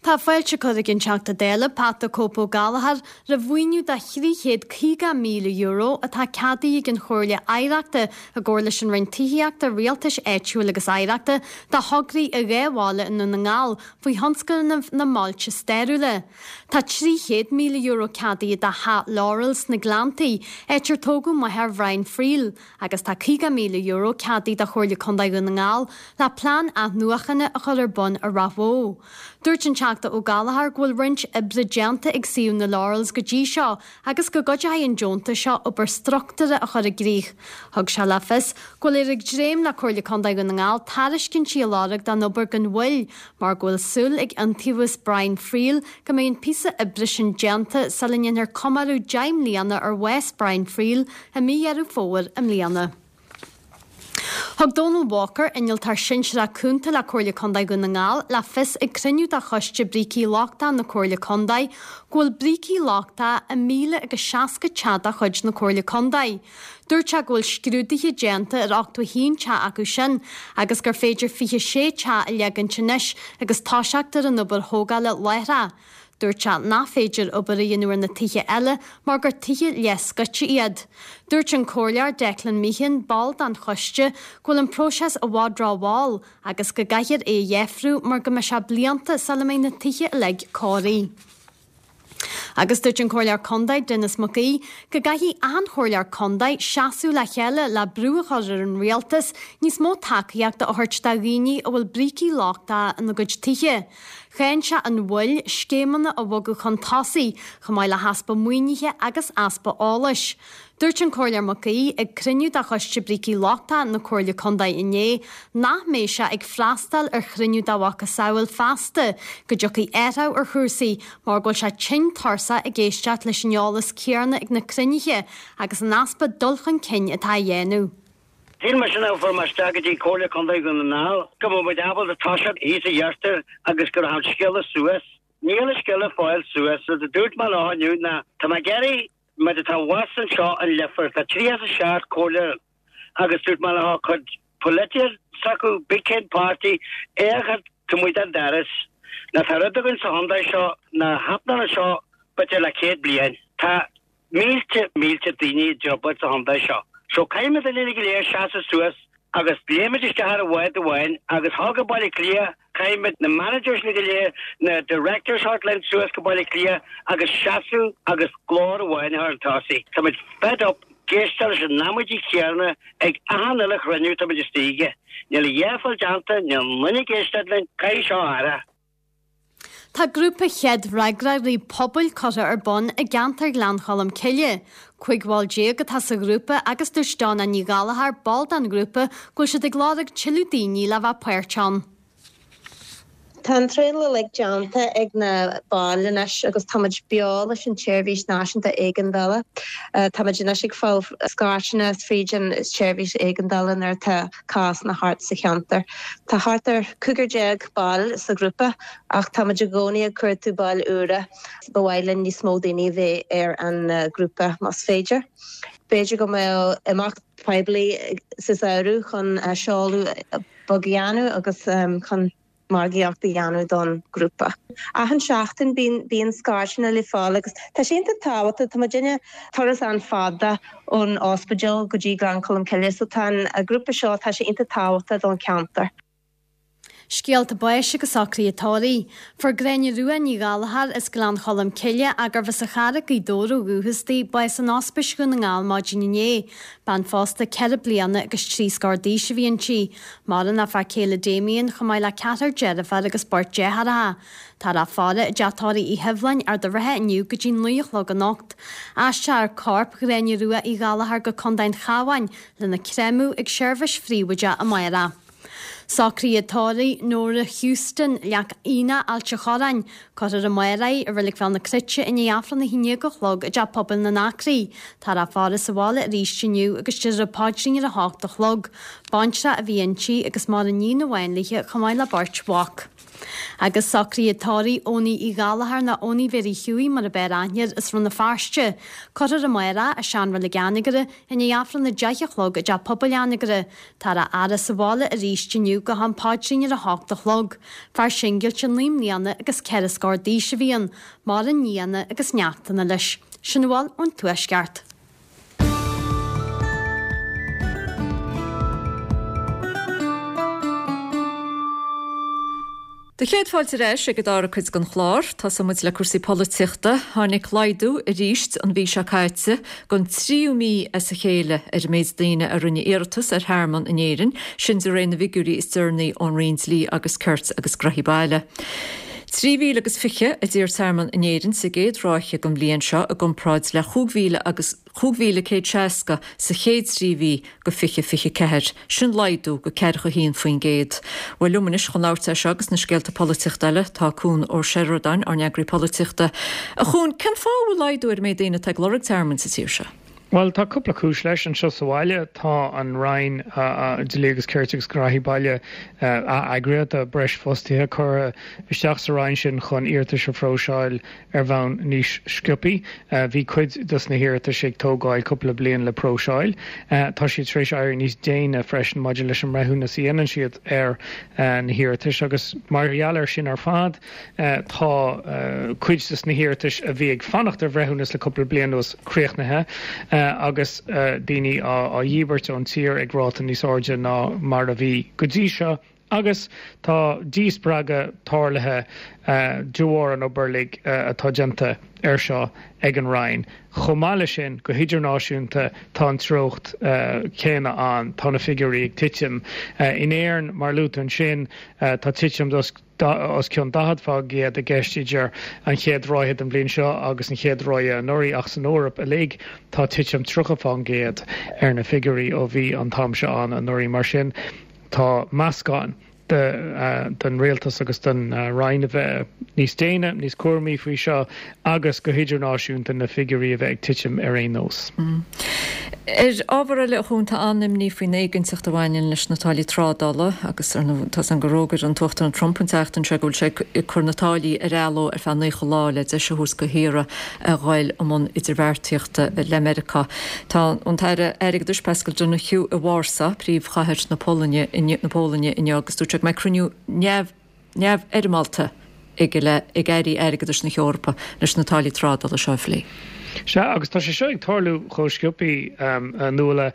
Tá fáilte curtha ag an Teachta Dála, Pat the Cope Ó Gallchóir, roimh mhaoiniú de thrí chéad caoga míle euro atá ceadaithe ag an Chomhairle Oidhreachta i gcomhar leis an Roinn Tithíochta, Rialtais Áitiúil agus Oidhreachta do thograí i dhá bhaile i nDún na nGall faoi thionscnamh na mbailte stairiúla. Tá trí chéad míle euro ceadaithe do Theach Laurel sna Gleanntaí, áit ar tógadh máthair Bhrian Friel, agus tá caoga míle euro ceadaithe do Chomhairle Contae Dhún na nGall le plean athnuachana a chur ar bun i Ráth Bhoth. Dúirt an Teachta Teachta Ó Gallchóir go bhfuil roinnt oibre déanta ag suíomh na Laurels go dtí seo agus go gcuideoidh an deontas seo obair struchtúrtha a chur i gcrích. Thug sé le fios go bhfuil ag dréim le Comhairle Contae Dhún na nGall tairiscintí a lorg don obair gan mhoill mar go bhfuil súil ag Iontaobhas Brian Friel go mbeidh an píosa oibre sin déanta sula ndéanfar comóradh deich mbliana ar bhás Brian Friel i mí Dheireadh Fómhair i mbliana. Thug Donal Walker, innealtóir sinsearach cúnta le Comhairle Contae Dhún na nGall, le fios ag cruinniú de Choiste Brící Lochtacha na Comhairle Contae go bhfuil brící lochtacha i míle agus seasca teach de chuid na Comhairle Contae. Dúirt sé go bhfuil scrúduithe déanta ar ochtó a haon teach acu sin agus gur féidir fiche sé teach a leagaint anois agus toiseacht ar an obair thógála láithreach. Dúirt sé nach féidir obair a dhéanamh ar na tithe eile mar gur tithe leathscoite iad. Dúirt an Comhairleoir Declan Meehan, ball den choiste, go bhfuil an próiseas i bhfad rómhall agus go gcaithfear é a dheifriú mar go mbeidh sé blianta sula mbeidh na tithe uilig cóirithe. Agus dúirt an Comhairleoir Contae Denis Mac Aoidh go gcaithfidh achan chomhairleoir contae seasamh le chéile le brú a chur ar an rialtas níos mó tacaíochta a thabhairt do dhaoine a bhfuil brící lochtacha ina gcuid tithe. Cháin sé an mhoill scéimeanna a bhogadh chun tosaigh, chomh maith le heaspa maoinithe agus easpa eolais. Dúirt an Comhairleoir Mac Aoidh ag cruinniú de Choiste Brící Lochtacha na Comhairle Contae inné nach mbeidh sé ag freastal ar chruinniú dá mhacasamhail feasta go dtiocfaidh athrú ar chúrsaí mar go bhfuil sé tinn tuirseach ag éisteacht leis an eolas céanna ag na cruinnithe agus an easpa dul chun cinn atá á dhéanamh. Shíl mise nuair a fuair mé isteach go dtí Comhairle Contae Dhún na nGall go mbeadh muid ábalta toiseacht thíos sa iarthar agus go raibh an scéal suas. Níl an scéal ag fáil suas. Rud a dúirt mé leo inniu ná tá mé ag iarraidh muid atá abhus anseo in Leifear, tá tríocha a seacht comhairleoir agus dúirt mé leo cuid polaitíocht s'acu, big cén páirtí, é a chur taobh amuigh den doras. Ná tá rud againn sa chontae seo nár thaitneodh anseo b'fhéidir le céad bliain. Tá mílte mílte daoine i dtrioblóid sa chontae seo. So caithfimid uilig go léir seasamh suas agus léimid isteach ar bhád amháin agus thall go Baile Átha Cliath, caithfimid na managers uilig go léir, na directors a thabhairt linn suas go Baile Átha Cliath agus seasamh agus glór amháin a chur chun tosaigh. Táimid fed up ag éisteacht leis an amaidí céanna ag achan uile chruinniú táimid istigh aige. Níl a dhath ag fáil déanta, níl aon duine ag éisteacht linn, caithfidh seo athrú. Tá grúpa chéad fhreagróirí pobail curtha ar bun i gceantar Ghleann Cholm Cille. Cúig bhall déag atá sa ghrúpa agus dúirt Donna Ní Ghallchóir, ball den ghrúpa, go bhfuil siad ag lorg tuilleadh daoine le bheith páirteach ann. Tá an traenáil uilig déanta ag na baill anois agus táimid beo leis an tSeirbhís Náisiúnta Éigeandála. Táimid anois ag fáil scairteanna fríd an tseirbhís éigeandála nuair atá cásanna thart sa cheantar. Tá thart ar cúigear déag ball sa ghrúpa ach táimid i gcónaí ag cuartú baill úra. Ba mhaith linn níos mó daoine a bheith ar an grúpa más féidir. B'fhéidir go mbeadh imeacht poiblí sa samhradh chun seoladh beag a dhéanamh agus chun margaíocht a dhéanamh don ghrúpa. Achan seachtain bíonn bíonn scairteanna le fáil agus tá sé iontach tábhachtach, tá muidinne turas an-fhada ón ospidéal go dtí Gleann Cholm Cille so tá an grúpa seo tá sé iontach tábhachtach don cheantar. Scéalta báis agus socruithe tórraimh. Fuair Gráinne Rua Ní Ghallchóir as Gleann Cholm Cille, gurbh as an Charraig, Gaoth Dobhair ó dhúchas di, bás in Ospís Dhún na nGall maidin inné. Bean phósta ceithre bliana agus trí scór d'aois a bhí inti. Maireann a fear céile Damien chomh maith le ceathrar deirféar agus beirt deartháireacha. Táthar á faire i dteach tórraimh Uí Shibhleáin, Ard an Rátha inniu go dtí naoi a chlog anocht. Aistreofar corp Ghráinne Rua Uí Ghallchóir go Contae an Chabháin lena chréamadh ag seirbhís phríobháideach amárach. Socruithe tórraimh Nóra Houston, Leac Aonach, Ailt an Chorráin, Cuirfear amárach í i Reilig Bhéal na Cruite i ndiaidh Aifreann a haon déag a chlog i dTeach Pobail na nAcraí. Táthar á faire sa bhaile arís inniu agus déarfar an paidrín ar a hocht a chlog. Baintreach a bhí inti agus maireann iníon amháin léi chomh maith le beirt mhac. Agus socruithe tórraimh Owenie Uí Ghallchóir nó Owenie Mhéirí Hughie mar ab fhearr aithne air as Rann na Feirste. Cuirfear amárach í i seanreilig Anagaire i ndiaidh Aifreann a deich a chlog i dTeach Pobail Anagaire. Táthar á fhaire sa bhaile arís inniu go ham paidrín ar a hocht a chlog. Fear singilte naoi mbliana agus ceithre scór d'aois a bhí ann, maireann nianna agus neachtanna leis. Sin a bhfuil ón Tuaisceart. Do chéad fáilte ar ais ag an dara cuid den chlár. Tosóidh muid le cúrsaí polaitíochta. Tháinig laghdú arís an mhí seo caite don tríú mí as a chéile ar an méid daoine a rinne iarratas ar thearmann in Éirinn, sin de réir na bhfigiúirí is deireanaí ón Roinn Dlí agus Cirt agus Gnóthaí Baile. Trí mhíle agus fiche a d'iarr tearmann in Éirinn sa gcéad ráithe den bhliain seo i gcomparáid le chúig mhíle agus chúig mhíle céad seasca sa chéad trí mhí de fiche fiche ceathair. Sin laghdú de ceathracha haon faoin gcéad. Bhuel liom anois chun labhairt air seo agus na scéalta polaitíochta eile tá Cuan Ó Seireadáin, ár n-eagraí polaitíochta. A Chuain, cén fáth a bhfuil laghdú ar an méid daoine atá ag lorg tearmainn sa tír seo? Bhuel, tá cúpla cúis leis. Anseo sa bhaile, tá an Roinn Dlí agus Cirt agus Gnóthaí Baile ath-eagraithe. Tá breis fostaithe curtha isteach sa Roinn sin chun iarratais a phróiseáil ar bhonn níos sciobthaí. Bhí cuid dos na hiarratais ag tógáil cúpla bliain le próiseáil. Tá siad tar éis éirí níos déine freisin maidir leis an mbreithiúnas a dhéanann siad ar na hiarratais agus mar gheall air sin ar fad, tá cuid dos na hiarratais a bhí ag fanacht ar bhreithiúnas le cúpla bliain anuas críochnaithe agus daoine á dhíbirt ón tír ag ráta níos airde ná mar a bhí go dtí seo agus tá díspreagadh tarlaithe de bharr an obair uilig atá déanta air seo ag an Roinn. Chomh maith leis sin, go hidirnáisiúnta tá an treocht chéanna ann, tá na figiúirí ag titim. In Éirinn, mar a luaigh tú ansin, tá titim os os cionn daichead fán gcéad i gceist idir an chéad ráithe den bhliain seo agus an chéad ráithe anuraidh ach san Eoraip uilig tá titim tríocha fán gcéad ar na figiúirí ó bhí an t-am seo ann anuraidh. Mar sin tá meascán den rialtas agus den Roinn a bheith níos déine, níos cúramaí faoi seo agus go hidirnáisiúnta na figiúirí a bheith ag titim ar aon nós. Ar ábhar eile, a Chuain, tá an-imní faoin éiginnteacht a bhaineann leis na táillí trádála agus ar ndóigh tá san gur fhógair an tUachtarán Trump an tseachtain seo go bhfuil sé ag cur na táillí ar athló ar feadh naocha lá le deis a thabhairt do thíortha a ghoil i mbun idirbheartaíochta le Meiriceá. Tá an tAire Airgeadais Paschal Donohoe i Warsaw, príomhchathair na Polainne, na Polainne inniu agus dúirt sé go mbeidh cruinniú neamh neamhfhoirmeálta aige le ag airí airgeadais na hEorpa leis na táillí trádála seo a phlé. Sea, agus tá sé seo ag tarlú chomh sciobthaí, a Nuala,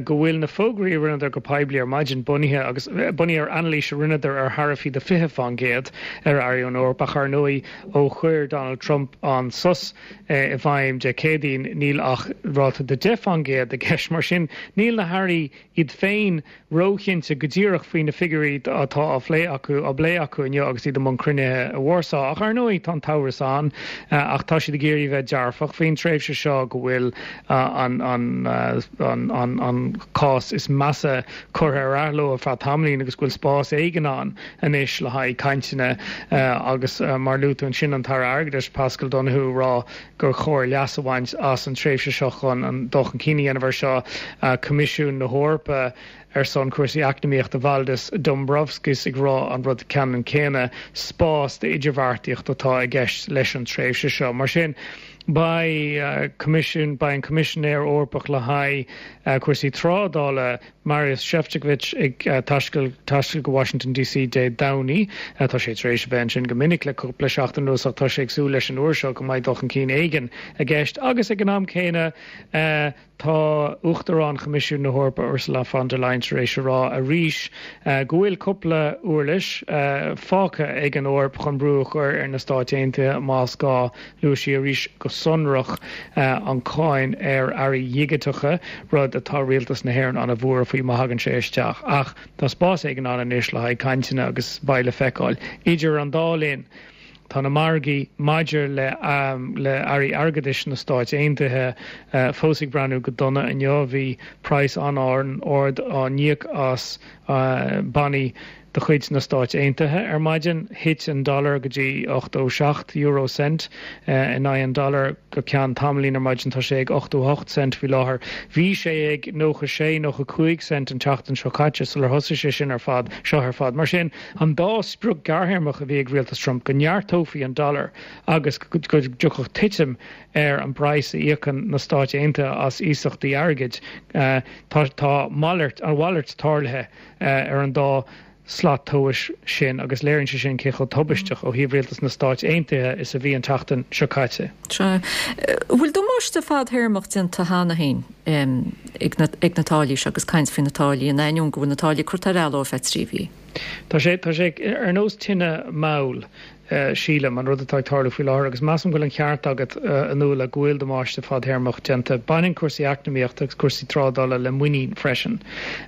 go bhfuil na fógraí a rinneadar go poiblí ar maidin bunaithe agus bunaithe ar anailís a rinneadar ar tharaifí de fiche fán gcéad ar earraí ón Eoraip ach ar ndóigh ó chuir Donald Trump an sos i bhfeidhm Dé Céadaoin níl ach ráta de deich fán gcéad i gceist. Mar sin níl na hairí iad féin róchinnte go díreach faoi na figiúirí atá á phlé acu á bplé acu inniu agus iad i mbun cruinnithe i Warsaw. Ach ar ndóigh tá an t-amhras ann ach tá siad ag iarraidh bheith dearfach faoin tréimhse seo go bhfuil an an an an an cás is measa curtha ar athló ar feadh tamaillín agus go bhfuil spás éigin ann anois le haghaidh cainteanna agus mar a luaigh tú ansin an tAire Airgeadais Paschal Donohoe ag rá gur chóir leas a bhaint as an tréimhse seo chun an dul chun cinn a dhéanamh air seo. Coimisiún na hEorpa ar son cúrsaí eacnamaíochta Valdis Dombrovskis ag rá an rud ceannann céanna, spás d'idirbheartaíocht atá i gceist leis an tréimhse seo. Mar sin, beidh Coimisiún, beidh an Coimisinéir Eorpach le haghaidh cúrsaí trádála, Maros Sefcovic, ag taisteal taisteal go Washington DC Dé Domhnaigh. Tá sé tar éis a bheith ansin go minic le cúpla seachtain anuas ach tá sé ag súil leis an uair seo go mbeidh dul chun cinn éigin i gceist agus ag an am céanna tá Uachtarán Choimisiún na hEorpa Ursula von der Leyen tar éis a rá arís go bhfuil cúpla uirlis fágtha ag an Eoraip chun brú a chur ar na Stáit Aontaithe más gá. Luaigh sí arís go sonrach an cháin ar earraí dhigiteacha, rud atá rialtas na hÉireann an-bhuartha faoi má thagann sé isteach. Ach tá spás éigin ann anois le haghaidh cainteanna agus beidh le feiceáil. Idir an dá linn, tá na margaí maidir le le earraí airgeadais na Stáit Aontaithe fós ag breathnú go dona inniu. Bhí praghas an-ard á n-íoc as bannaí de chuid na Stáit Aontaithe ar maidin. Thit an dollar go dtí ochtó seacht euro cent in aghaidh an dollar go ceann tamaillín ar maidin. Tá sé ag ochtó hocht cent faoi láthair. Bhí sé ag nócha sé, nócha cúig cent an tseachtain seo caite sular thosaigh sé sin ar fad, seo ar fad. Mar sin, an dá sprioc ghearrthéarmach a bhí ag rialtas Trump, go neartófaí an dollar agus go dtiocfadh titim ar an bpraghas a íocann na Stáit Aontaithe as iasachtaí airgid, tá tá malairt, an mhalairt tarlaithe ar an dá slat tomhais sin agus léiríonn sé sin cé chomh tubaisteach ó thaobh rialtas na Stáit Aontaithe is a bhí an tseachtain seo caite. Sea. An bhfuil damáiste fadthéarmach déanta cheana féin ag na ag na táillí seo agus caint faoi na táillí in ainneoin go bhfuil na táillí curtha ar athló ar feadh trí mhí? Tá sé tá sé ar nós tine mhall. sílim, an rud atá ag tarlú faoi láthair agus measaim go bhfuil an ceart agat, a Nuala, go bhfuil damáiste fadtéarmach déanta. Baineann cúrsaí eacnamaíochta agus cúrsaí trádála le muinín freisin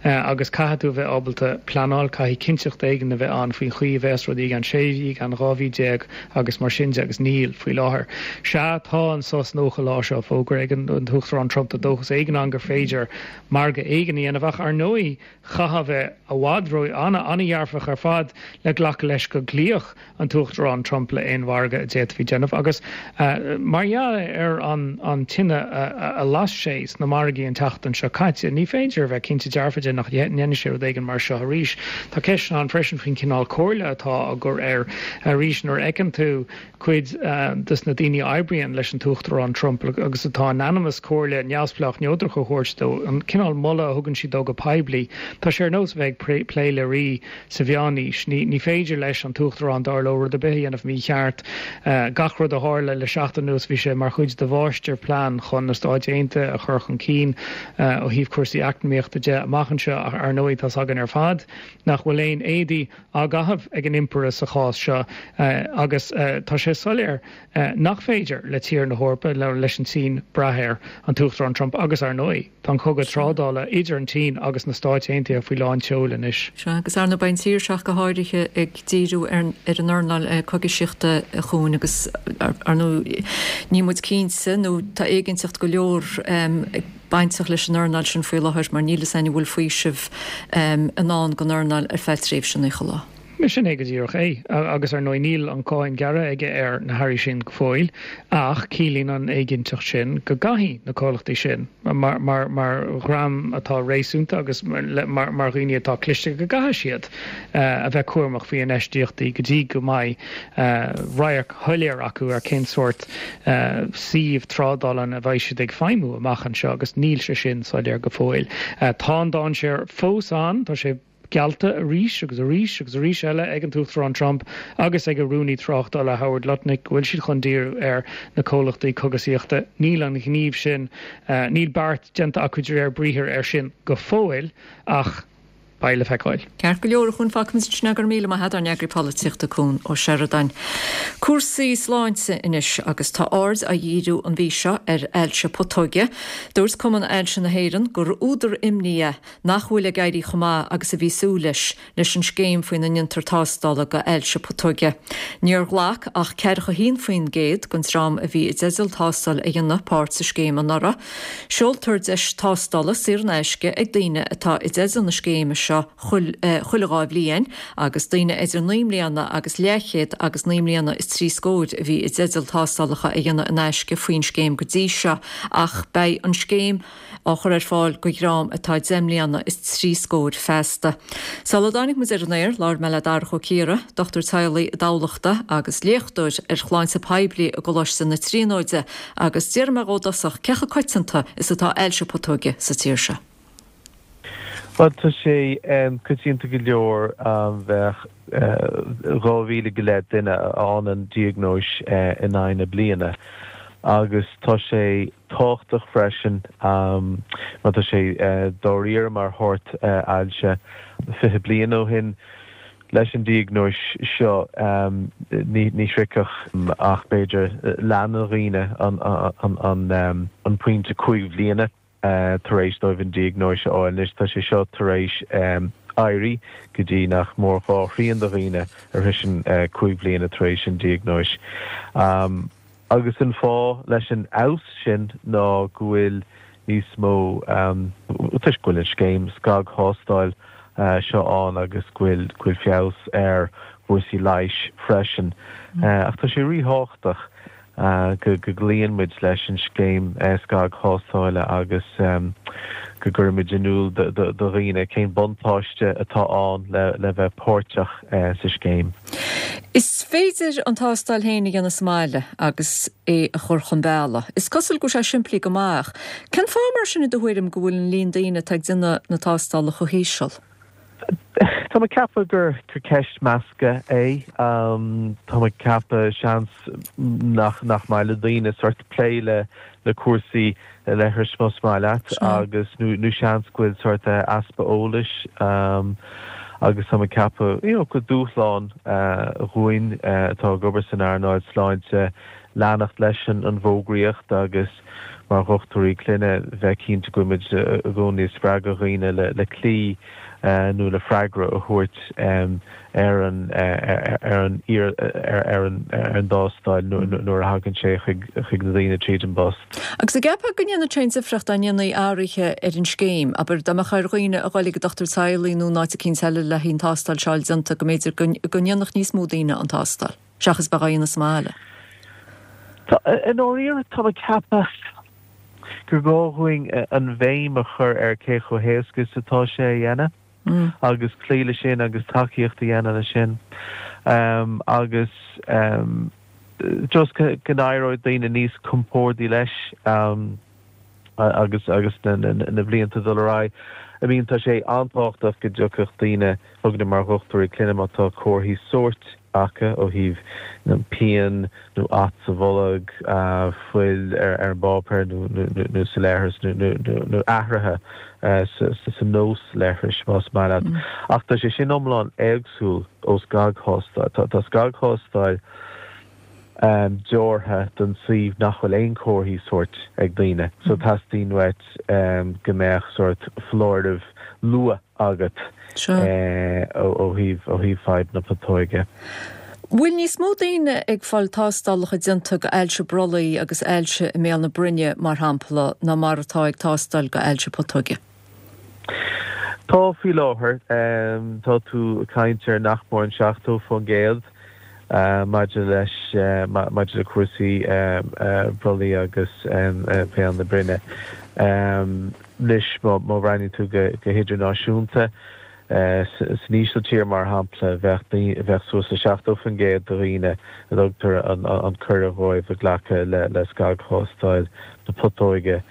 agus caithfidh tú a bheith ábalta pleanáil, caithfidh cinnteacht éigin a bheith ann faoin chaoi a bheas rudaí i gceann sé mhí, i gceann dhá mhí déag agus mar sin de agus níl faoi láthair. Sea, tá an sos nócha lá seo fógartha ag an tUachtarán Trump, tá dóchas éigin ann gur féidir margadh éigin a dhéanamh ach ar ndóigh chaithfeá a bheith i bhfad ró an-dhearfach ar fad le glacadh leis go gcloífeadh an tUachtarán Trump le aon mhargadh a d'fhéadfaí déanamh agus mar gheall ar an tine a las sé sna margaí an tseachtain seo caite, ní féidir a bheith cinnte dearfa de nach ndéanfaidh sé rud éigin mar seo arís. Tá ceisteanna ann freisin faoin chineál comhairle atá á gcur air arís nuair a fheiceann tú cuid de na daoine a oibríonn leis an tUachtarán Trump agus atá in ainm is comhairle neamhspleách neodrach a thabhairt dó, an cineál moladh a thugann siad dó go poiblí, tá sé ar nós a bheith ag plé le rí sa mheánaois. Ní féidir leis an tUachtarán, dar leo, rud ar bith a dhéanamh mícheart. Gach rud a tharla le seachtain anuas bhí sé mar chuid de mháistirphlean chun na Stáit Aontaithe a chur chun cinn ó thaobh cúrsaí eacnamaíochta de amach anseo ach ar ndóigh tá's againn ar fad nach bhfuil aon éadaí á gcaitheamh ag an Impire sa chás seo agus tá sé soiléir nach féidir le tír na hEorpa, leis an tSín, brath ar an tUachtarán Trump agus ar ndóigh tá an cogadh trádála idir an tSín agus na Stáit Aontaithe faoi lán tseoil anois. Sea, agus ar ndóigh beidh an tír seo ach go háirithe ag díriú ar an earnáil cogaisíochta a Chuain agus ar ndóigh níl muid cinnte nó tá éiginnteacht go leor ag bainteach leis an earnáil sin faoi láthair mar níl fhios againn an bhfuil faoiseamh i ndán don earnáil ar feadh tréimhse naocha lá. Sin é go díreach é. Agus ar ndóigh níl an cáin gearrtha aige ar na hearraí sin go fóill ach ciallaíonn an éiginnteacht sin go gcaithfidh na comhlachtaí sin, mar mar dhream atá réasúnta agus mar mar dhaoine atá cliste, go gcaithfidh siad a bheith cúramach faoi infheistíochtaí go dtí go mbeidh radharc shoiléir acu ar cén sórt suíomh trádála ina bheidh siad ag feidhmiú amach anseo agus níl sé sin soiléir go fóill. Tá an dainséar fós ann, tá sé geallta arís agus arís agus arís eile ag an tUachtarán Trump agus ag a Rúnaí Tráchtála Howard Lutnick go bhfuil siad chun díriú ar na comhlachtaí cogasaíochta. Níl an gníomh sin, níl beart déanta acu de réir briathair air sin go fóill ach beidh le feiceáil. Ceart go leor, a Chuain, fágfaimid ansin é, go raibh míle maith agat, ár n-eagraí polaitíochta Cuan Ó Seireadáin. Cúrsaí sláinte anois agus tá aird á dhíriú an mhí seo ar ailse putóige. Dúirt Cumann Ailse na hÉireann gur údar imní é nach bhfuil ag éirí chomh maith agus a bhí súil leis leis an scéim faoina ndéantar tástála go ailse putóige. Níor ghlac ach ceathracha a haon faoin gcéad den dream a bhí i dteideal tástáil a dhéanamh páirt sa scéim anuraidh. Seoltar deis tástála saor in aisce ag daoine atá i dteideal na scéime seo chuile dhá bhliain agus daoine idir naoi mbliana agus leathchéad agus naoi mbliana is trí scóir a bhí i dteideal tástálacha a dhéanamh in aisce faoin scéim go dtí seo ach beidh an scéim á chur ar fáil go dhream atá deich mbliana is trí scóir feasta. Sula dtáinig muid ar an aer, labhair mé le Darach Ó Ciardha, dochtúir teaghlaigh i dTamhlacht agus léachtóir ar shláinte poiblí i gColáiste na Tríonóide agus d'iarr mé dhó i dtosach cé chomh coitianta is atá ailse putóige sa tír seo. Bhuel, tá sé coitianta go leor, bheadh dhá mhíle go leith duine a fhaigheann an diagnóis in aghaidh na bliana agus tá sé tábhachtach freisin mar tá sé dáiríre mar shórt ailse. Fiche bliain ó shin leis an diagnóis seo ní shroichfeadh ach b'fhéidir leath na dhaoine an pointe cúig bhliana. tar éis dóibh an diagnóis a fháil. Anois tá sé seo tar éis éirí go dtí nach mór dhá thrian de dhaoine a shroiseann cúig bhliana tar éis an diagnóis. Agus an fáth leis an fheabhas sin ná go bhfuil níos mó, toisc go bhfuil an scéim scagthástáil seo ann agus go bhfuil go bhfuil feabhas ar chúrsaí leighis freisin. Ach tá sé ríthábhachtach go gcloíonn muid leis an scéim scagthástála agus go gcuirimid in iúl do dhaoine cén buntáiste atá ann le bheith páirteach sa scéim. Is féidir an tástáil féin a dhéanamh sa mbaile agus é a chur chun bealaigh. Is cosúil go bhfuil sé simplí go maith ach cén fáth mar sin i do thuairim go bhfuil an líon daoine atá ag déanamh na tástála chomh híseal? Tá mé ag ceapadh gur ceist measctha é. Tá mé ag ceapadh, seans, nach nach maith le daoine sort plé le le cúrsaí leithris más maith leat agus nó nó seans go bhfuil sort easpa eolais Agus tá mé ag ceapadh, you know, gur dúshlán dhúinn atá ag obair san earnáil sláinte leanacht leis an bhfógraíocht agus mar dhochtúirí clainne bheith cinnte go bhfuil muid i gcónaí ag spreagadh dhaoine le cloí nó le freagra a thabhairt ar an ar an ar an ar an dtástáil nuair a thagann sé chuig chuig na daoine tríd an bpost. Agus an gceapfá go ndéanfadh sé aon difríocht dá ndéanfaí athruithe ar an scéim, abair, dá mbeadh ar dhaoine a dhul ag an dochtúir teaghlaigh nó in áit eicínt eile le haghaidh an tástáil seo a fháil déanta, go mb'fhéidir go ndéanfadh níos mó daoine an tástáil, seachas bheith á dhéanamh sa mbaile? Tá, i ndáiríre, tá mé ag ceapadh gur gá dhúinn an bhéim a chur ar cé chomh héasca is atá sé a dhéanamh agus cloí leis sin agus tacaíocht a dhéanamh leis sin agus just go n-éireoidh daoine níos compórdaí leis agus agus na blianta ag dul ar aghaidh. I mean tá sé an-tábhachtach go dtiocfadh daoine chugainne mar dhochtúirí clainne má tá comharthaí sóirt acu ó thaobh pian nó at sa bholg, fuil ar an bpáipéar nó sa leithreas nó athruithe sa nós leithris, más maith leat. Ach tá sé sin iomlán éagsúil ó scagthástáil. Tá scagthástáil deartha don suíomh nach bhfuil aon chomharthaí sóirt ag daoine. So teastaíonn uait go mbeadh sórt foláireamh luath agat ó thaobh ó thaobh fadhb na putóige. Bhfuil níos mó daoine ag fáil tástálacha déanta go ailse brollaigh agus ailse i mbéal na broinne, mar shampla, ná mar atá ag tástáil go ailse putóige? Tá faoi láthair. Tá tú ag caint ar nach mór an seachtó faoin gcéad maidir leis maidir le cúrsaí brollaigh agus béal na broinne. Anois má bhreathnaíonn tú go hidirnáisiúnta, san Ísiltír mar shampla, bheadh bheadh suas le seachtó faoin gcéad de dhaoine a dtugtar an cuireadh dhóibh ag glacadh le scagthástáil na putóige.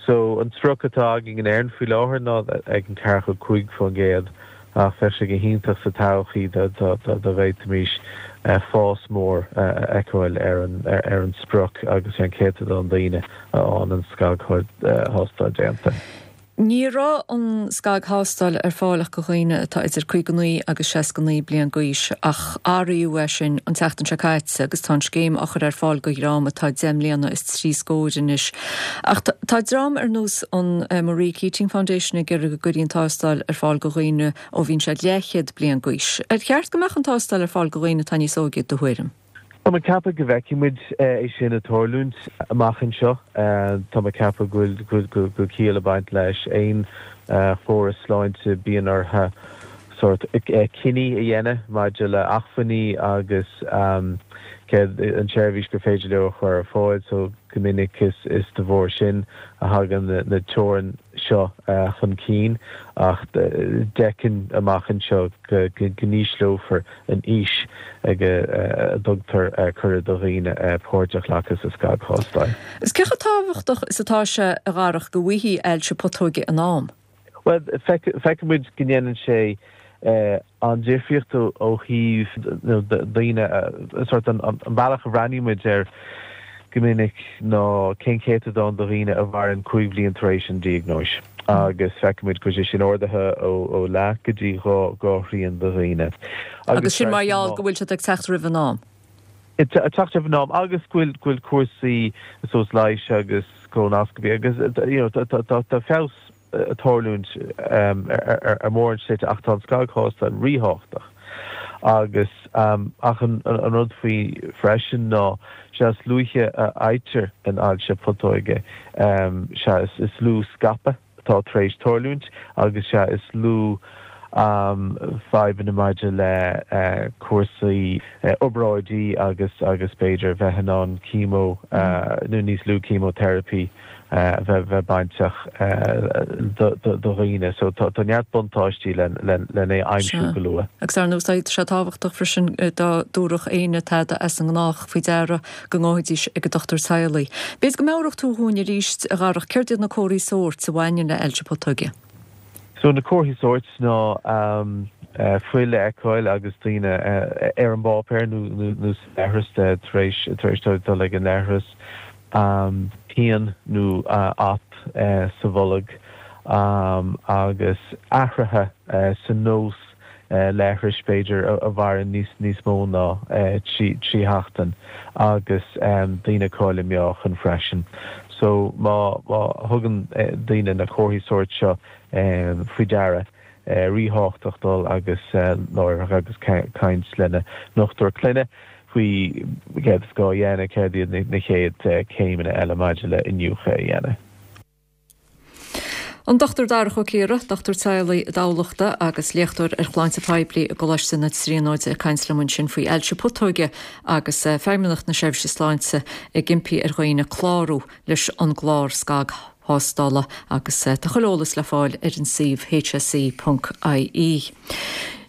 So an sprioc atá againn in Éirinn faoi láthair ná ag an ceathracha cúig faoin gcéad ach bheadh sé go hiontach sa todhchaí dá bhféadfaimis fás mór a fheiceáil ar an sprioc agus ar an céatadán daoine a fhaigheann an scagthástáil déanta. Ní raibh an scagthástáil ar fáil ach do dhaoine atá idir caoga naoi agus seasca naoi bliain d'aois ach athraíodh é sin an tseachtain seo caite agus tá an scéim á chur ar fáil do dhream atá deich mbliana is trí scór anois. Ach tá dream ar nós an Marie Keating Foundation ag iarraidh go gcuirfí an tástáil ar fáil do dhaoine ó bhíonn siad leathchéad bliain d'aois. Ar cheart go mbeadh an tástáil ar fáil do dhaoine atá níos óige, i do thuairim? Tá mé ag ceapadh go bhfeicfidh muid é sin ag tarlúint amach anseo. Tá mé ag ceapadh go bhfuil go bhfuil ciall ag baint leis. Aon chóras sláinte bíonn orthu sórt cinní a dhéanamh maidir le acmhainní agus céard an tseirbhís gur féidir leo a chur ar fáil. So go minic is is de bharr sin a thagann na teorainn seo chun cinn ach d'fheicfinn amach anseo go n-ísleofar an aois ag a dtugtar cuireadh do dhaoine páirt a ghlacadh sa scagthástáil. Is cé chomh tábhachtach is atá sé, a Dharach, go bhfaighfí ailse putóige in am? Bhuel, feiceann muid go ndéanann sé an difríocht ó thaobh daoine, sórt an bealach a bhreathnaíonn muid air go minic ná cén céatadán de dhaoine a mhaireann cúig bhliain tar éis an diagnóis agus feiceann muid go bhfuil sé sin ardaithe ó leath go dtí dhá dhá thrian de dhaoine. Agus sin mar gheall go bhfuil siad ag teacht roimh an am. Ag teacht roimh an am agus go bhfuil go bhfuil cúrsaí suas leighis agus colonoscopy agus you know tá feabhas ag tarlúint ar mórán slite ach tá an scagthástáil ríthábhachtach agus ach an rud faoi freisin ná sea is luaithe a fhaightear an ailse putóige sea is lú scaipeadh atá tar éis tarlúint agus sea is lú fadhbanna maidir le cúrsaí obráidí agus agus b'fhéidir bheith in ann chemo nó níos lú chemotherapy a bheith bainteach do dhaoine. So tá neart buntáistí len é aimsiú go luath. Agus ar ndóigh tá sé tábhachtach freisin dá dtabharfadh éinne tada as an ngnách faoi deara go ngabhfaidís ag an dochtúir teaghlaigh. B'fhéidir go meabhródh tú dhúinn arís, a Dharach, céard iad na comharthaí sóirt a bhaineann le hailse putóige? So na comharthaí sóirt ná fuil a fheiceáil agus daoine ar an bpáipéar nó sa leithreas tar éis tar éis dóibh dul ag an leithreas, pian nó at sa bholg agus athruithe sa nós leithris b'fhéidir a mhaireann níos níos mó ná trí trí sheachtain agus daoine ag cailleadh meáchan freisin. So má má thugann daoine na comharthaí sóirt seo faoi deara, ríthábhachtach dul agus láithreach agus caint lena ndochtúir clainne faoi céard is gá a dhéanamh, céard iad na chéad céimeanna eile maidir le iniúchadh a dhéanamh. An Dochtúir Darach Ó Ciardha, dochtúir teaghlaigh i dTamhlachta agus léachtóir ar shláinte poiblí i gColáiste na Tríonóide ag caint liom ansin faoi ailse putóige agus Feidhmeannacht na Seirbhíse Sláinte ag impí ar dhaoine clárú leis an gclár scagthástála agus tá chuile eolas le fáil ar an suíomh hse ponc ie.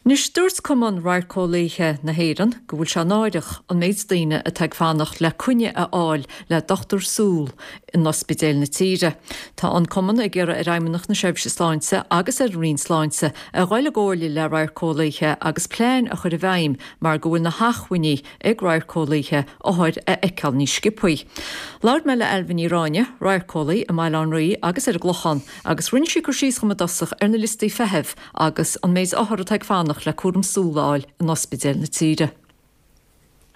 Anois dúirt Cumann Radharceolaithe na hÉireann go bhfuil sé náireach an méid daoine atá ag fanacht le coinne a fháil le dochtúir súl in ospidéil na tíre. Tá an Cumann ag iarraidh ar Fheidhmeannacht na Seirbhíse Sláinte agus ar an Roinn Sláinte a dhul i gcomhairle le radharceolaithe agus plean a chur i bhfeidhm mar go bhfuil na hacmhainní ag radharceolaithe othair a fheiceáil níos sciobthaí. Labhair mé le Ailbhe Ní Ráinne, radharceolaí i mBaile Átha an Rí agus ar an gClochán, agus rinne sí cur síos dhom i dtosach ar na liostaí feithimh agus an méid othar atá ag fanacht le cúram súl a fháil in ospidéil na tíre.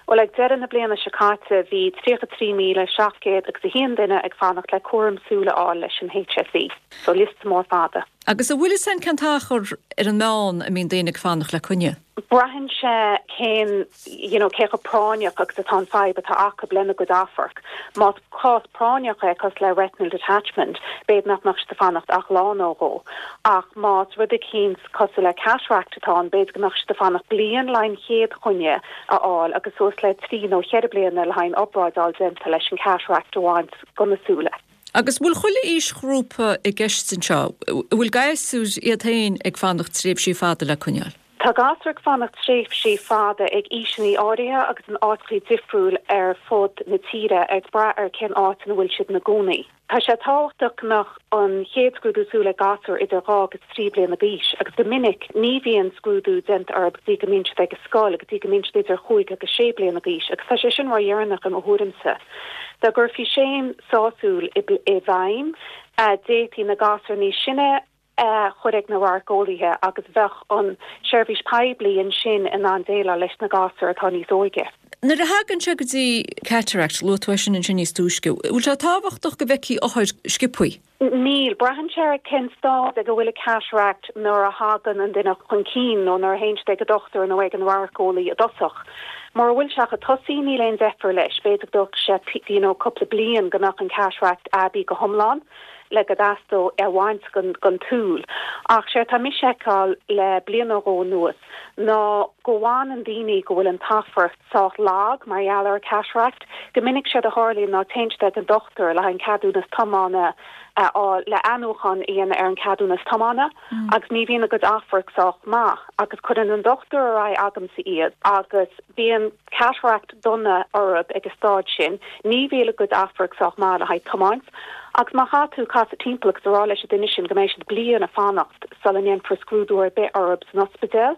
Bhuel, ag deireadh na bliana seo caite bhí tríocha trí míle seacht gcéad agus a haon duine ag fanacht le cúram súl a fháil leis an HSE, so liosta mór fada. Agus an bhfuil fhios a'inn cén t-achar ar an meán a mbíonn daoine ag fanacht le coinne? Braitheann sé cén, you know, cé chomh práinneach agus atá an fadhb atá acu lena gcuid amhairc. Más cás práinneach é cosúil le retinal detachment, b'fhéidir nach mbeadh siad ag fanacht ach lá nó dhó. Ach más rud eicínt cosúil le cataract atá ann, b'fhéidir go mbeadh siad ag fanacht bliain le haghaidh an chéad choinne a fháil agus suas le trí nó cheithre bliana le haghaidh an obráid a fháil déanta leis an cataract a bhaint de na súile. Agus bhfuil chuile aoisghrúpa i gceist anseo? Bhfuil gasúir iad féin ag fanacht tréimhsí fada le coinneáil? Tá gasúir ag fanacht tréimhsí fada ag aoiseanna áirithe agus in áiteacha difriúil ar fud na tíre, ag brath ar cén áit ina bhfuil siad ina gcónaí. Tá sé tábhachtach go mbeadh an chéad scrúdú súl ag gasúir idir dhá agus trí bliana d'aois agus go minic ní bhíonn scrúdú déanta orthu go dtí go mbíonn siad ag an scoil, go dtí go mbíonn siad idir chúig agus sé bliana d'aois agus tá sé sin ródheireanach i mo thuairimse. Dá gcuirfí scéim sásúil i bhfeidhm, d'fhéadfaí na gasúir níos sine a chur ag na radharceolaithe agus bheadh an seirbhís poiblí ansin in ann déileáil leis na gasúir atá níos óige. Nuair a thagann sé go dtí cataract, luaigh tú é sin ansin níos túisce, bhfuil sé tábhachtach go bhfeicfí othair sciobthaí? Níl. Braitheann sé ar cén staid ag a bhfuil an cataract nuair a thagann an duine chun cinn nó nuair a théann siad ag an dochtúir nó ag an radharceolaí i dtosach. Mura bhfuil sé ach ag tosaí níl aon deifir leis, b'fhéidir go dtógfaidh sé you know cúpla bliain go mbeadh an cataract aibí go hiomlán. le go dteastódh é a bhaint den tsúil. Ach séard atá mise a fheiceáil le bliain nó dhó anuas ná go bhfanann daoine go bhfuil an t-amharc sách lag mar gheall ar cataract. Go minic séard a tharlaíonn ná téann siad ag an dochtúir le haghaidh an ceadúnas tiomána a fháil, le athnuachan a dhéanamh ar an ceadúnas tiomána agus ní bhíonn a gcuid amhairc sách maith agus cuireann an dochtúir ar aghaidh agamsa iad agus bíonn cataract dona orthu ag an staid sin, ní bhíonn a gcuid amhairc sách maith le haghaidh tiomáint. Agus má chaithfidh tú casadh timpeall agus a rá leis an duine sin go mbeidh siad bliain ag fanacht sula ndéanfar scrúdú ar bith orthu san ospidéal,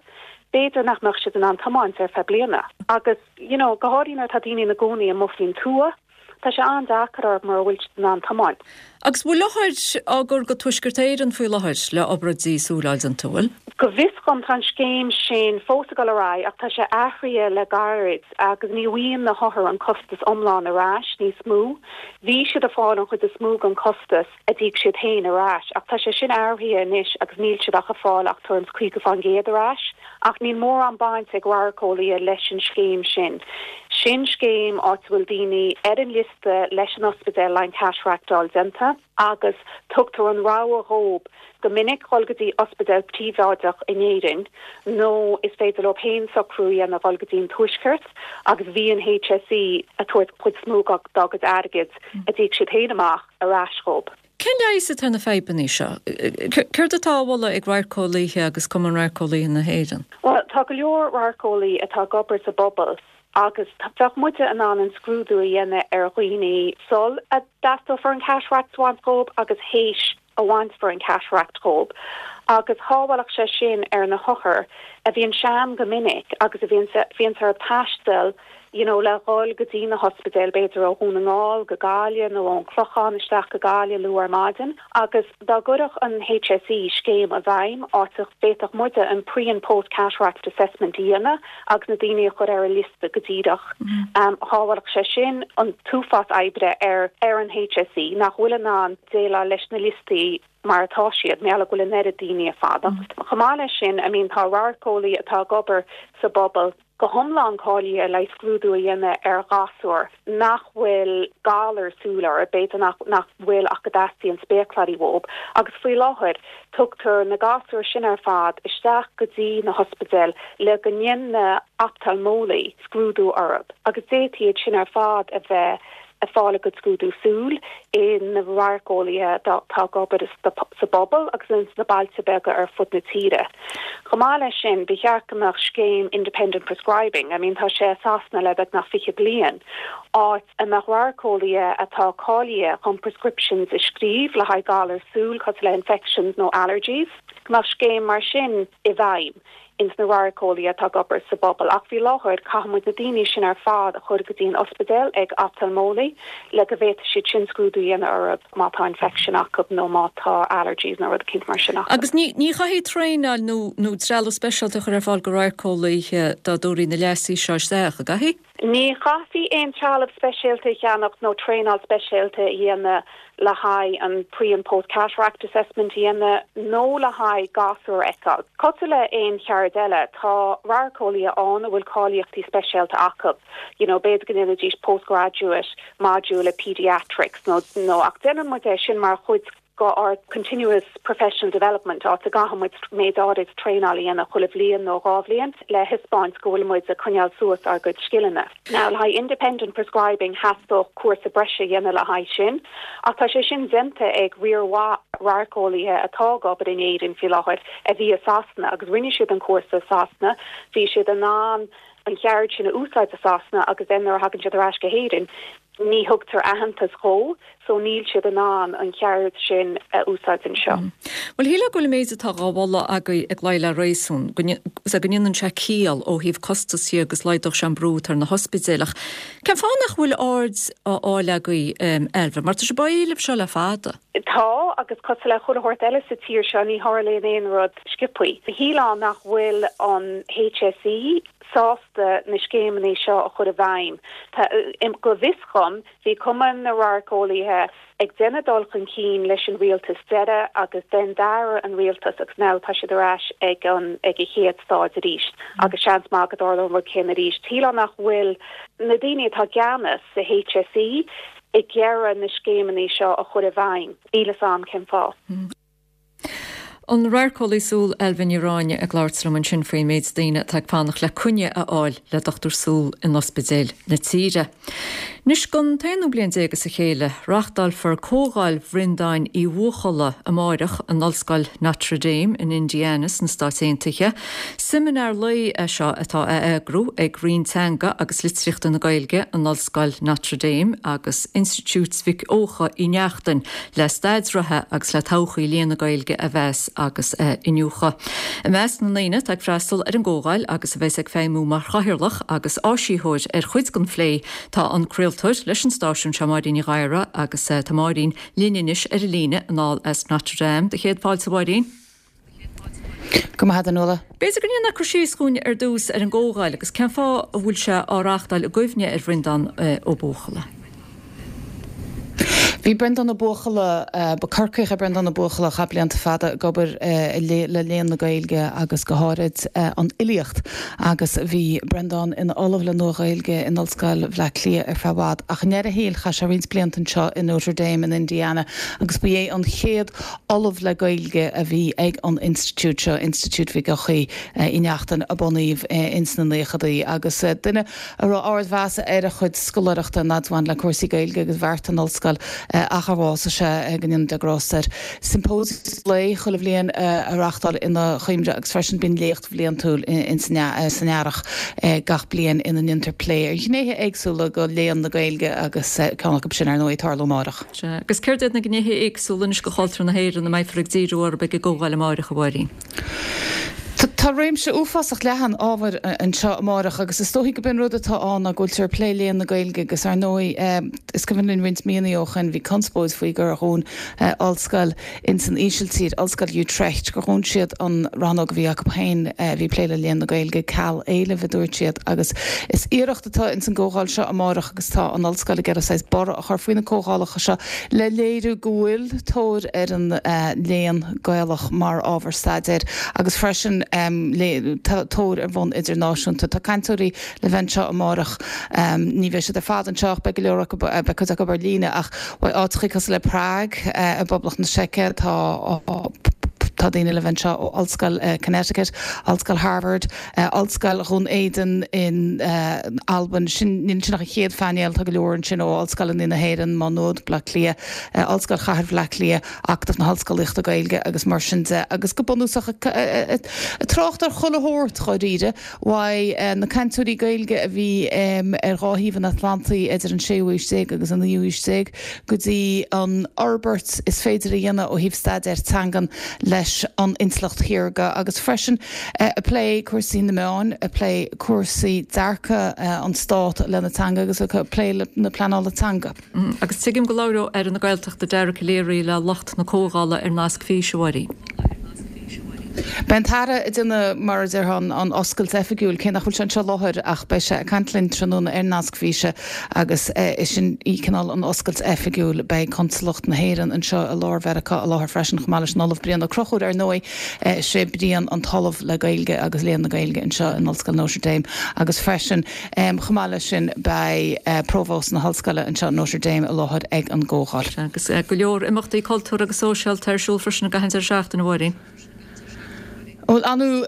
b'fhéidir nach mbeadh siad in ann tiomáint ar feadh bliana. Agus, you know, go háirithe nuair atá daoine ina gcónaí amuigh faoin tuath, tá sé an-deacair orthu mura bhfuil siad in ann tiomáint. Agus bhfuil othair á gcur go Tuaisceart Éireann faoi láthair le obráidí súl a fháil déanta, bhfuil? Go bhfios dhom tá an scéim sin fós ag dul ar aghaidh ach tá sé athraithe le gairid agus ní bhfaigheann na hothair an costas iomlán ar ais níos mó. Bhí siad ag fáil an chuid is mó den costas a d'íoc siad féin ar ais ach tá sé sin athraithe anois agus níl siad ach ag fáil ach tuairim is caoga fán gcéad ar ais. Ach níl mórán baint ag radharceolaithe leis an scéim sin. Sin scéim áit a bhfuil daoine ar an liosta leis an ospidéal le haghaidh cataract a fháil déanta agus tugtar an rogha dhóibh go minic dhul go dtí ospidéal príobháideach in Éirinn nó is féidir leo féin socrú a dhéanamh dhul go dtí an Tuaisceart agus bhí an HSE ag tabhairt cuid is mó dá gcuid airgid a d'íoc siad féin amach ar ais dhóibh. Cén leigheas atá ar na fadhbanna seo? Céard atá á mholadh ag radharceolaithe agus Cumann Radharceolaithe na hÉireann? Bhuel, tá go leor radharceolaí atá ag obair sa bpobal agus bheadh muide in ann an scrúdú a dhéanamh ar dhaoine sul a dteastófar an cataract a bhaint dhóibh agus théis a bhainfear an cataract dhóibh agus shábhálfadh sé sin ar na hothair a bhíonn sean go minic agus a bhíonn bhíonn orthu taisteal you know, le dhul go dtí na hospidéil b'fhéidir ó Dhún na nGall go Gaillimh nó ón Chlochán isteach go Gaillimh luath ar maidin agus dá gcuirfeadh an HSE scéim i bhfeidhm áit a bhféadfadh muide an pre and post cataract assessment a dhéanamh agus na daoine a chur ar an liosta go díreach. Um, shábhálfadh sé sin an t-uafás oibre ar ar an HSE nach bhfuil in ann déileáil leis na liostaí mar atá siad mar gheall go bhfuil an oiread daoine ag fanacht. Chomh maith leis sin, I mean tá radharceolaí atá ag obair sa bpobal go hiomlán cáilithe le scrúdú a dhéanamh ar ghasúir nach bhfuil galar súl orthu, b'fhéidir nach nach bhfuil ach go dteastaíonn spéacláirí uathu, agus faoi láthair tugtar na gasúir sin ar fad isteach go dtí na hospidéil le go ndéanann na oftalmólaí scrúdú orthu agus d'fhéadfaí iad sin ar fad a bheith ag fáil a gcuid scrúdú súl ag na radharceolaithe atá ag obair sa bpobal agus ins na bailte beaga ar fud na tíre. Chomh maith leis sin, ba cheart go mbeadh scéim independent prescribing, I mean tá sé i Sasana le beagnach fiche bliain, áit a mbeadh radharceolaithe atá cáilithe chun prescriptions a scríobh le haghaidh galar súl cosúil le infections nó allergies, go mbeadh scéim mar sin i bhfeidhm. ins na radharceolaithe atá ag obair sa bpobal ach faoi láthair caithfidh muid na daoine sin ar fad a chur go dtí an ospidéal ag oftalmólaí le go bhféadfaidh siad sin scrúdú a dhéanamh orthu má tá infection acu nó má tá allergies nó rud eicínt mar sin acu. Agus ní ní chaithfidh traenáil nó nó trealamh speisialta a chur ar fáil go radharceolaithe dá dtabharfaí na leasuithe seo isteach, an gcaithfidh? Ní chaithfí aon trealamh speisialta a cheannach nó traenáil speisialta a dhéanamh le haghaidh an pre and post cataract assessment a dhéanamh nó le haghaidh gasúr a fheiceáil. Cosúil le aon cheird eile, tá radharceolaithe ann a bhfuil cáilíochtaí speisialta acu. You know, b'fhéidir go ndéanfaidís postgraduate module le pediatrics nó nó ach déanann muid é sin mar chuid d'ár continuous professional development áit a gcaithfidh muid méid áirid traenáil a dhéanamh chuile bhliain nó dhá bhliain le thaispeáint go bhfuil muid ag coinneáil suas ár gcuid scileanna. Now le haghaidh independent prescribing theastódh cúrsa breise a dhéanamh le haghaidh sin, ach tá sé sin déanta ag riar mhaith radharceolaithe atá ag obair in Éirinn faoi láthair a bhí i Sasana agus rinne siad an cúrsa i Sasana, bhí siad in ann an cheird sin a úsáid i Sasana agus then nuair a thagann siad ar ais go hÉirinn ní thugtar aitheantas dhó so níl siad in ann an cheird sin a úsáid anseo. Bhuel shílfeá go bhfuil an méid atá á mholadh agaibh ag luí le réasún, go ndéanann sé ciall ó thaobh costas dhe agus laghdódh sé an brú atá ar na hospidéil ach cén fáth nach bhfuil aird á fháil agaibh Ailbhe, mar tá sibh á éileamh seo le fada? Tá agus cosúil le chuile shórt eile sa tír seo ní tharlaíonn aon rud sciobthaí. Shílfeá nach bhfuil an HSE sásta na scéimeanna seo a chur i bhfeidhm. Go bhfios dhom, bhí Cumann na Radharceolaithe ag déanamh dul chun cinn leis an rialtas deiridh agus then d'athraigh an rialtas agus now tá siad ar ais ag an ag an chéad stáid arís agus seans maith go dtarlóidh an rud céanna arís. Shílfeá nach bhfuil na daoine atá i gceannas sa HSE ag iarraidh na scéimeanna seo a chur i bhfeidhm. Níl fhios a'm cén fáth. An radharceolaí súl Ailbhe Ní Ráinne ag labhairt liom ansin faoin méid daoine atá ag fanacht le coinne a fháil le dochtúir súl in ospidéil na tíre. Anois don t-aonú bliain déag as a chéile, reáchtálfar Comhdháil Bhreandáin Uí Bhuachalla amáireach in Ollscoil Notre Dame in Indiana sna Stáit Aontaithe. Seimineár lae é seo atá á eagrú ag Roinn Teanga agus Litríochta na Gaeilge in Ollscoil Notre Dame agus Institiúid Mhic Eocha Uí Neachtain le staid reatha agus le todhchaí léann na Gaeilge a mheas agus a iniúchadh. I measc na ndaoine atá ag freastal ar an gcomhdháil agus a bheas ag feidhmiú mar chathaoirleach agus áisitheoir ar chuid den phlé tá an craoltóir leis an stáisiún seo Máirín Ní Ghadhra agus tá Máirín linn anois ar an líne anall as Notre Dame. Do chéad fáilte a Mháirín. Go maith a Nuala. B'fhéidir go ndéanfá cur síos dhúinn ar dtús ar an gcomhdháil agus cén fáth a bhfuil sé á reáchtáil i gcuimhne ar Bhreandán Ó Buachalla. Bhí Breandán Ó Buachalla, ba Corcaíoch é Breandán Ó Buachalla, a chaith blianta fada ag obair le léann na Gaeilge agus go háirid an fhilíocht agus bhí Breandán ina ollamh le Nua-Ghaeilge in Ollscoil Bhaile Átha Cliath ar feadh i bhfad ach i ndeireadh a shaoil chaith sé roinnt blianta anseo i Notre Dame in Indiana agus ba é an chéad ollamh le Gaeilge a bhí ag an institiúid seo, Institiúid Mhic Eochaidh Uí Neachtain a bunaíodh ins na naochadaí agus duine a raibh ardmheas ar a chuid scoláireachta an fhad a bhain le cúrsaí Gaeilge agus bheartaigh an ollscoil ach ar bhásaigh sé go ndéana Dia grásta air. Symposium lae chuile bhliain a reáchtáil ina chuimhne agus freisin bíonn léacht bhliantúil san earrach gach bliain ina ndéantar plé ar ghnéithe éagsúla de léann na Gaeilge agus ceann acu sin ar ndóigh ag tarlú amárach. Sea, agus céard iad na gnéithe éagsúla anois de chultúr na hÉireann a mbeifear ag díriú orthu ag an gcomhdháil amárach, a Mháirín? Tá réimse uafásach leathan ábhair anseo amárach agus is dóichí gurb é an rud atá ann ná go bhfuiltear ag plé léann na Gaeilge agus ar ndóigh is cuimhin linn roinnt míonna ó shin bhí conspóid faoi gur dhún ollscoil ins an Ísiltír, Ollscoil Utrecht, gur dhún siad an rannóg a bhí acu féin a bhí ag plé le léann na Gaeilge, ceal éilimh a dúirt siad agus is iarracht atá ins an gcomhdháil seo amárach agus tá an ollscoil ag iarraidh saghas borradh a chur faoi na comhdhálacha seo le léiriú go bhfuil tóir ar an léann Gaelach mar ábhar staidéir agus freisin tóir ar bhonn idirnáisiúnta. Tá cainteoirí le bheith anseo amárach. Ní bheidh siad ar fad anseo ach beidh go leor acu, beidh cuid acu ar líne ach áiteachaí cosúil le Prague i bPoblacht na Seice, tá tá daoine le bheith anseo ó Ollscoil Connecticut, Ollscoil Harvard, Ollscoil Dhún Éideann in Albain, sin níl sin ach an chéad phainéal, tá go leor ansin ó Ollscoileanna na hÉireann, Má Nuad, Bleá Cliath, Ollscoil Chathair Bhaile Átha Cliath, Acadamh na hOllscolaíochta Gaeilge agus mar sin de agus go bunúsach ag trácht ar chuile shórt dháiríre uaidh na cainteoirí Gaeilge a bhí ar dhá thaobh an Atlantaigh idir an séú haois déag agus an naoú haois déag go dtí an fhorbairt is féidir a dhéanamh ó thaobh staidéar teangan leis an intleacht shaorga agus freisin ag plé cúrsaí na meáin, ag plé cúrsaí dearcadh an Stát lena teanga agus ag plé na pleanála teanga. Agus tuigim go labhróidh Aire na Gaeltachta Dara Calleary le lucht na comhdhála ar nasc físe, a Mháirín. Beidh an tAire ag déanamh, mar a déarfá, an oscailt oifigiúil, cé nach bhfuil sé anseo i láthair ach beidh sé ag caint linn tráthnóna ar nasc físe agus is sin í cineál an oscailt oifigiúil. Beidh Consalacht na hÉireann anseo i lár Mheiriceá i láthair freisin chomh maith leis an Ollamh Brian Ó Conchúir. Ar ndóigh, sé Brian an tOllamh le Gaeilge agus Léann na Gaeilge anseo in Ollscoil Notre Dame agus freisin chomh maith leis sin beidh Provóst na hOllscoile anseo Notre Dame i láthair ag an gcomhdháil. Agus go leor imeachtaí cultúrtha agus sóisialta ar siúl freisin i gcaitheamh an deireadh seachtaine, a Mháirín. Bhuel, Anu,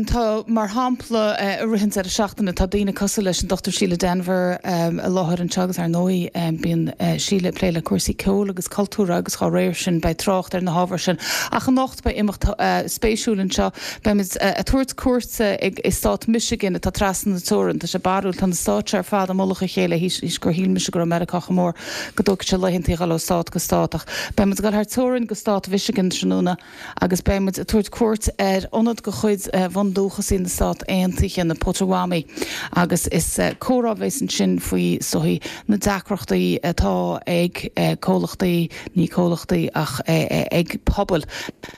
tá, mar shampla, i rith an deireadh seachtaine, tá daoine cosúil leis an Dochtúir Síle Denvir i láthair anseo agus, ar ndóigh, bíonn Síle ag plé le cúrsaí ceoil agus cultúrtha agus dá réir sin beidh trácht ar na hábhair sin. Ach anocht beidh imeacht spéisiúil anseo. Beimid ag tabhairt cuairte i stát Michigan atá trasna na teorann. Tá sé barrúil, tá na stáit seo ar fad i mullach a chéile théis gur shíl mise go raibh Meiriceá chomh mór go dtógfadh sé laethantaí a dhul ó stát go stát. Ach beimid ag dul thar teorainn go stát Mhichigan tráthnóna agus beimid ag tabhairt cuairt ar ionad de chuid bhundúchasaigh na Stát Aontaithe, na Potawatomi, agus is comhrá a bheas ansin faoi, is dóichí, na deacrachtaí atá ag comhlachtaí, ní comhlachtaí ach ag pobail,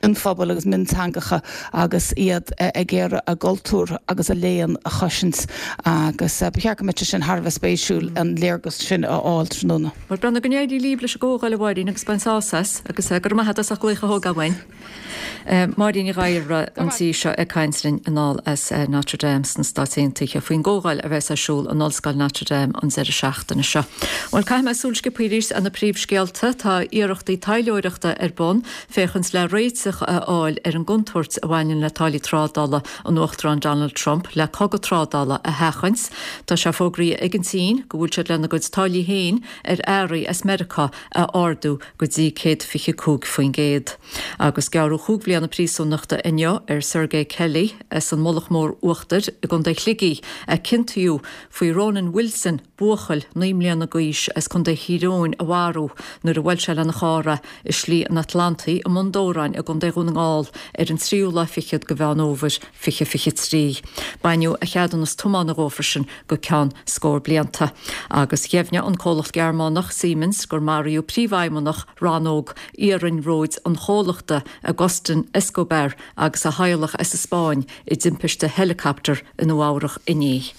mionphobail agus mionteangacha agus iad ag iarraidh a gcultúr agus a léann a chosaint agus ba cheart go mbeadh sé sin thar a bheith spéisiúil an léargas sin a fháil tráthnóna. Bhuel, Breandán, go n-éirí libh leis an gcomhdháil, a Mháirín, agus bain sásamh as, agus go raibh maith agat as ucht glaoch a thógáil uainn. Máirín Ní Ghadhra an tí seo ag caint linn anall as Notre Dame sna Stáit Aontaithe faoin gcomhdháil a bheas ar siúl in Ollscoil Notre Dame an deireadh seachtaine seo. Bhuel, caithfidh mé súil sciobtha arís ar na príomhscéalta. Tá iarrachtaí taidhleoireachta ar bun féachaint le réiteach a fháil ar an gcontúirt a bhaineann le táillí trádála an Uachtaráin Donald Trump le cogadh trádála a sheachaint. Tá sé fógraithe ag an tSín go bhfuil siad lena gcuid táillí féin ar earraí as Meiriceá a ardú go dtí céad fiche cúig faoin gcéad. Agus gearradh chúig bhliana príosúnachta inniu ar Sergei Kelly as an Mullach Mór Uachtair i gContae Shligigh a ciontaíodh faoi Ronan Wilson, buachaill naoi mbliana d'aois as Contae Thír Eoghain a mharú nuair a bhuail sé lena charr é i Slí an Atlantaigh i mBun Dobhráin i gContae Dhún na nGall ar an tríú lá fichead de Mheán Fhómhair fiche fiche trí. Baineadh a cheadúnas tiomána dhó freisin go ceann scór blianta. Agus dheimhnigh an comhlacht Gearmánach Siemens gur maraíodh príomhfheidhmeannach rannóg iarnróid an chomhlachta, Agustin Escobar, agus a theaghlach as an Spáinn i dtimpiste heileacaptair i Nua-Eabhrac inné.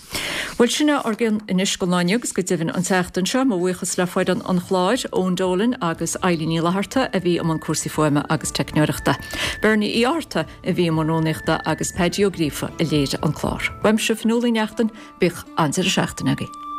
Bhuel, sin é ár gcion anois don lá inniu agus go deimhin an tseachtain seo. Mo bhuíochas le foireann an chláir, Eoin Dolan agus Eilín Ní Fhlatharta a bhí i mbun cúrsaí fuaime agus teicneoireachta. Bernie Uí Fhátharta a bhí i mbun rúnaíochta agus Paddy Ó Gríofa a léirigh an clár. Uaimse, Fionnuala Uí Neachtain, bíodh an-deireadh seachtaine agaibh.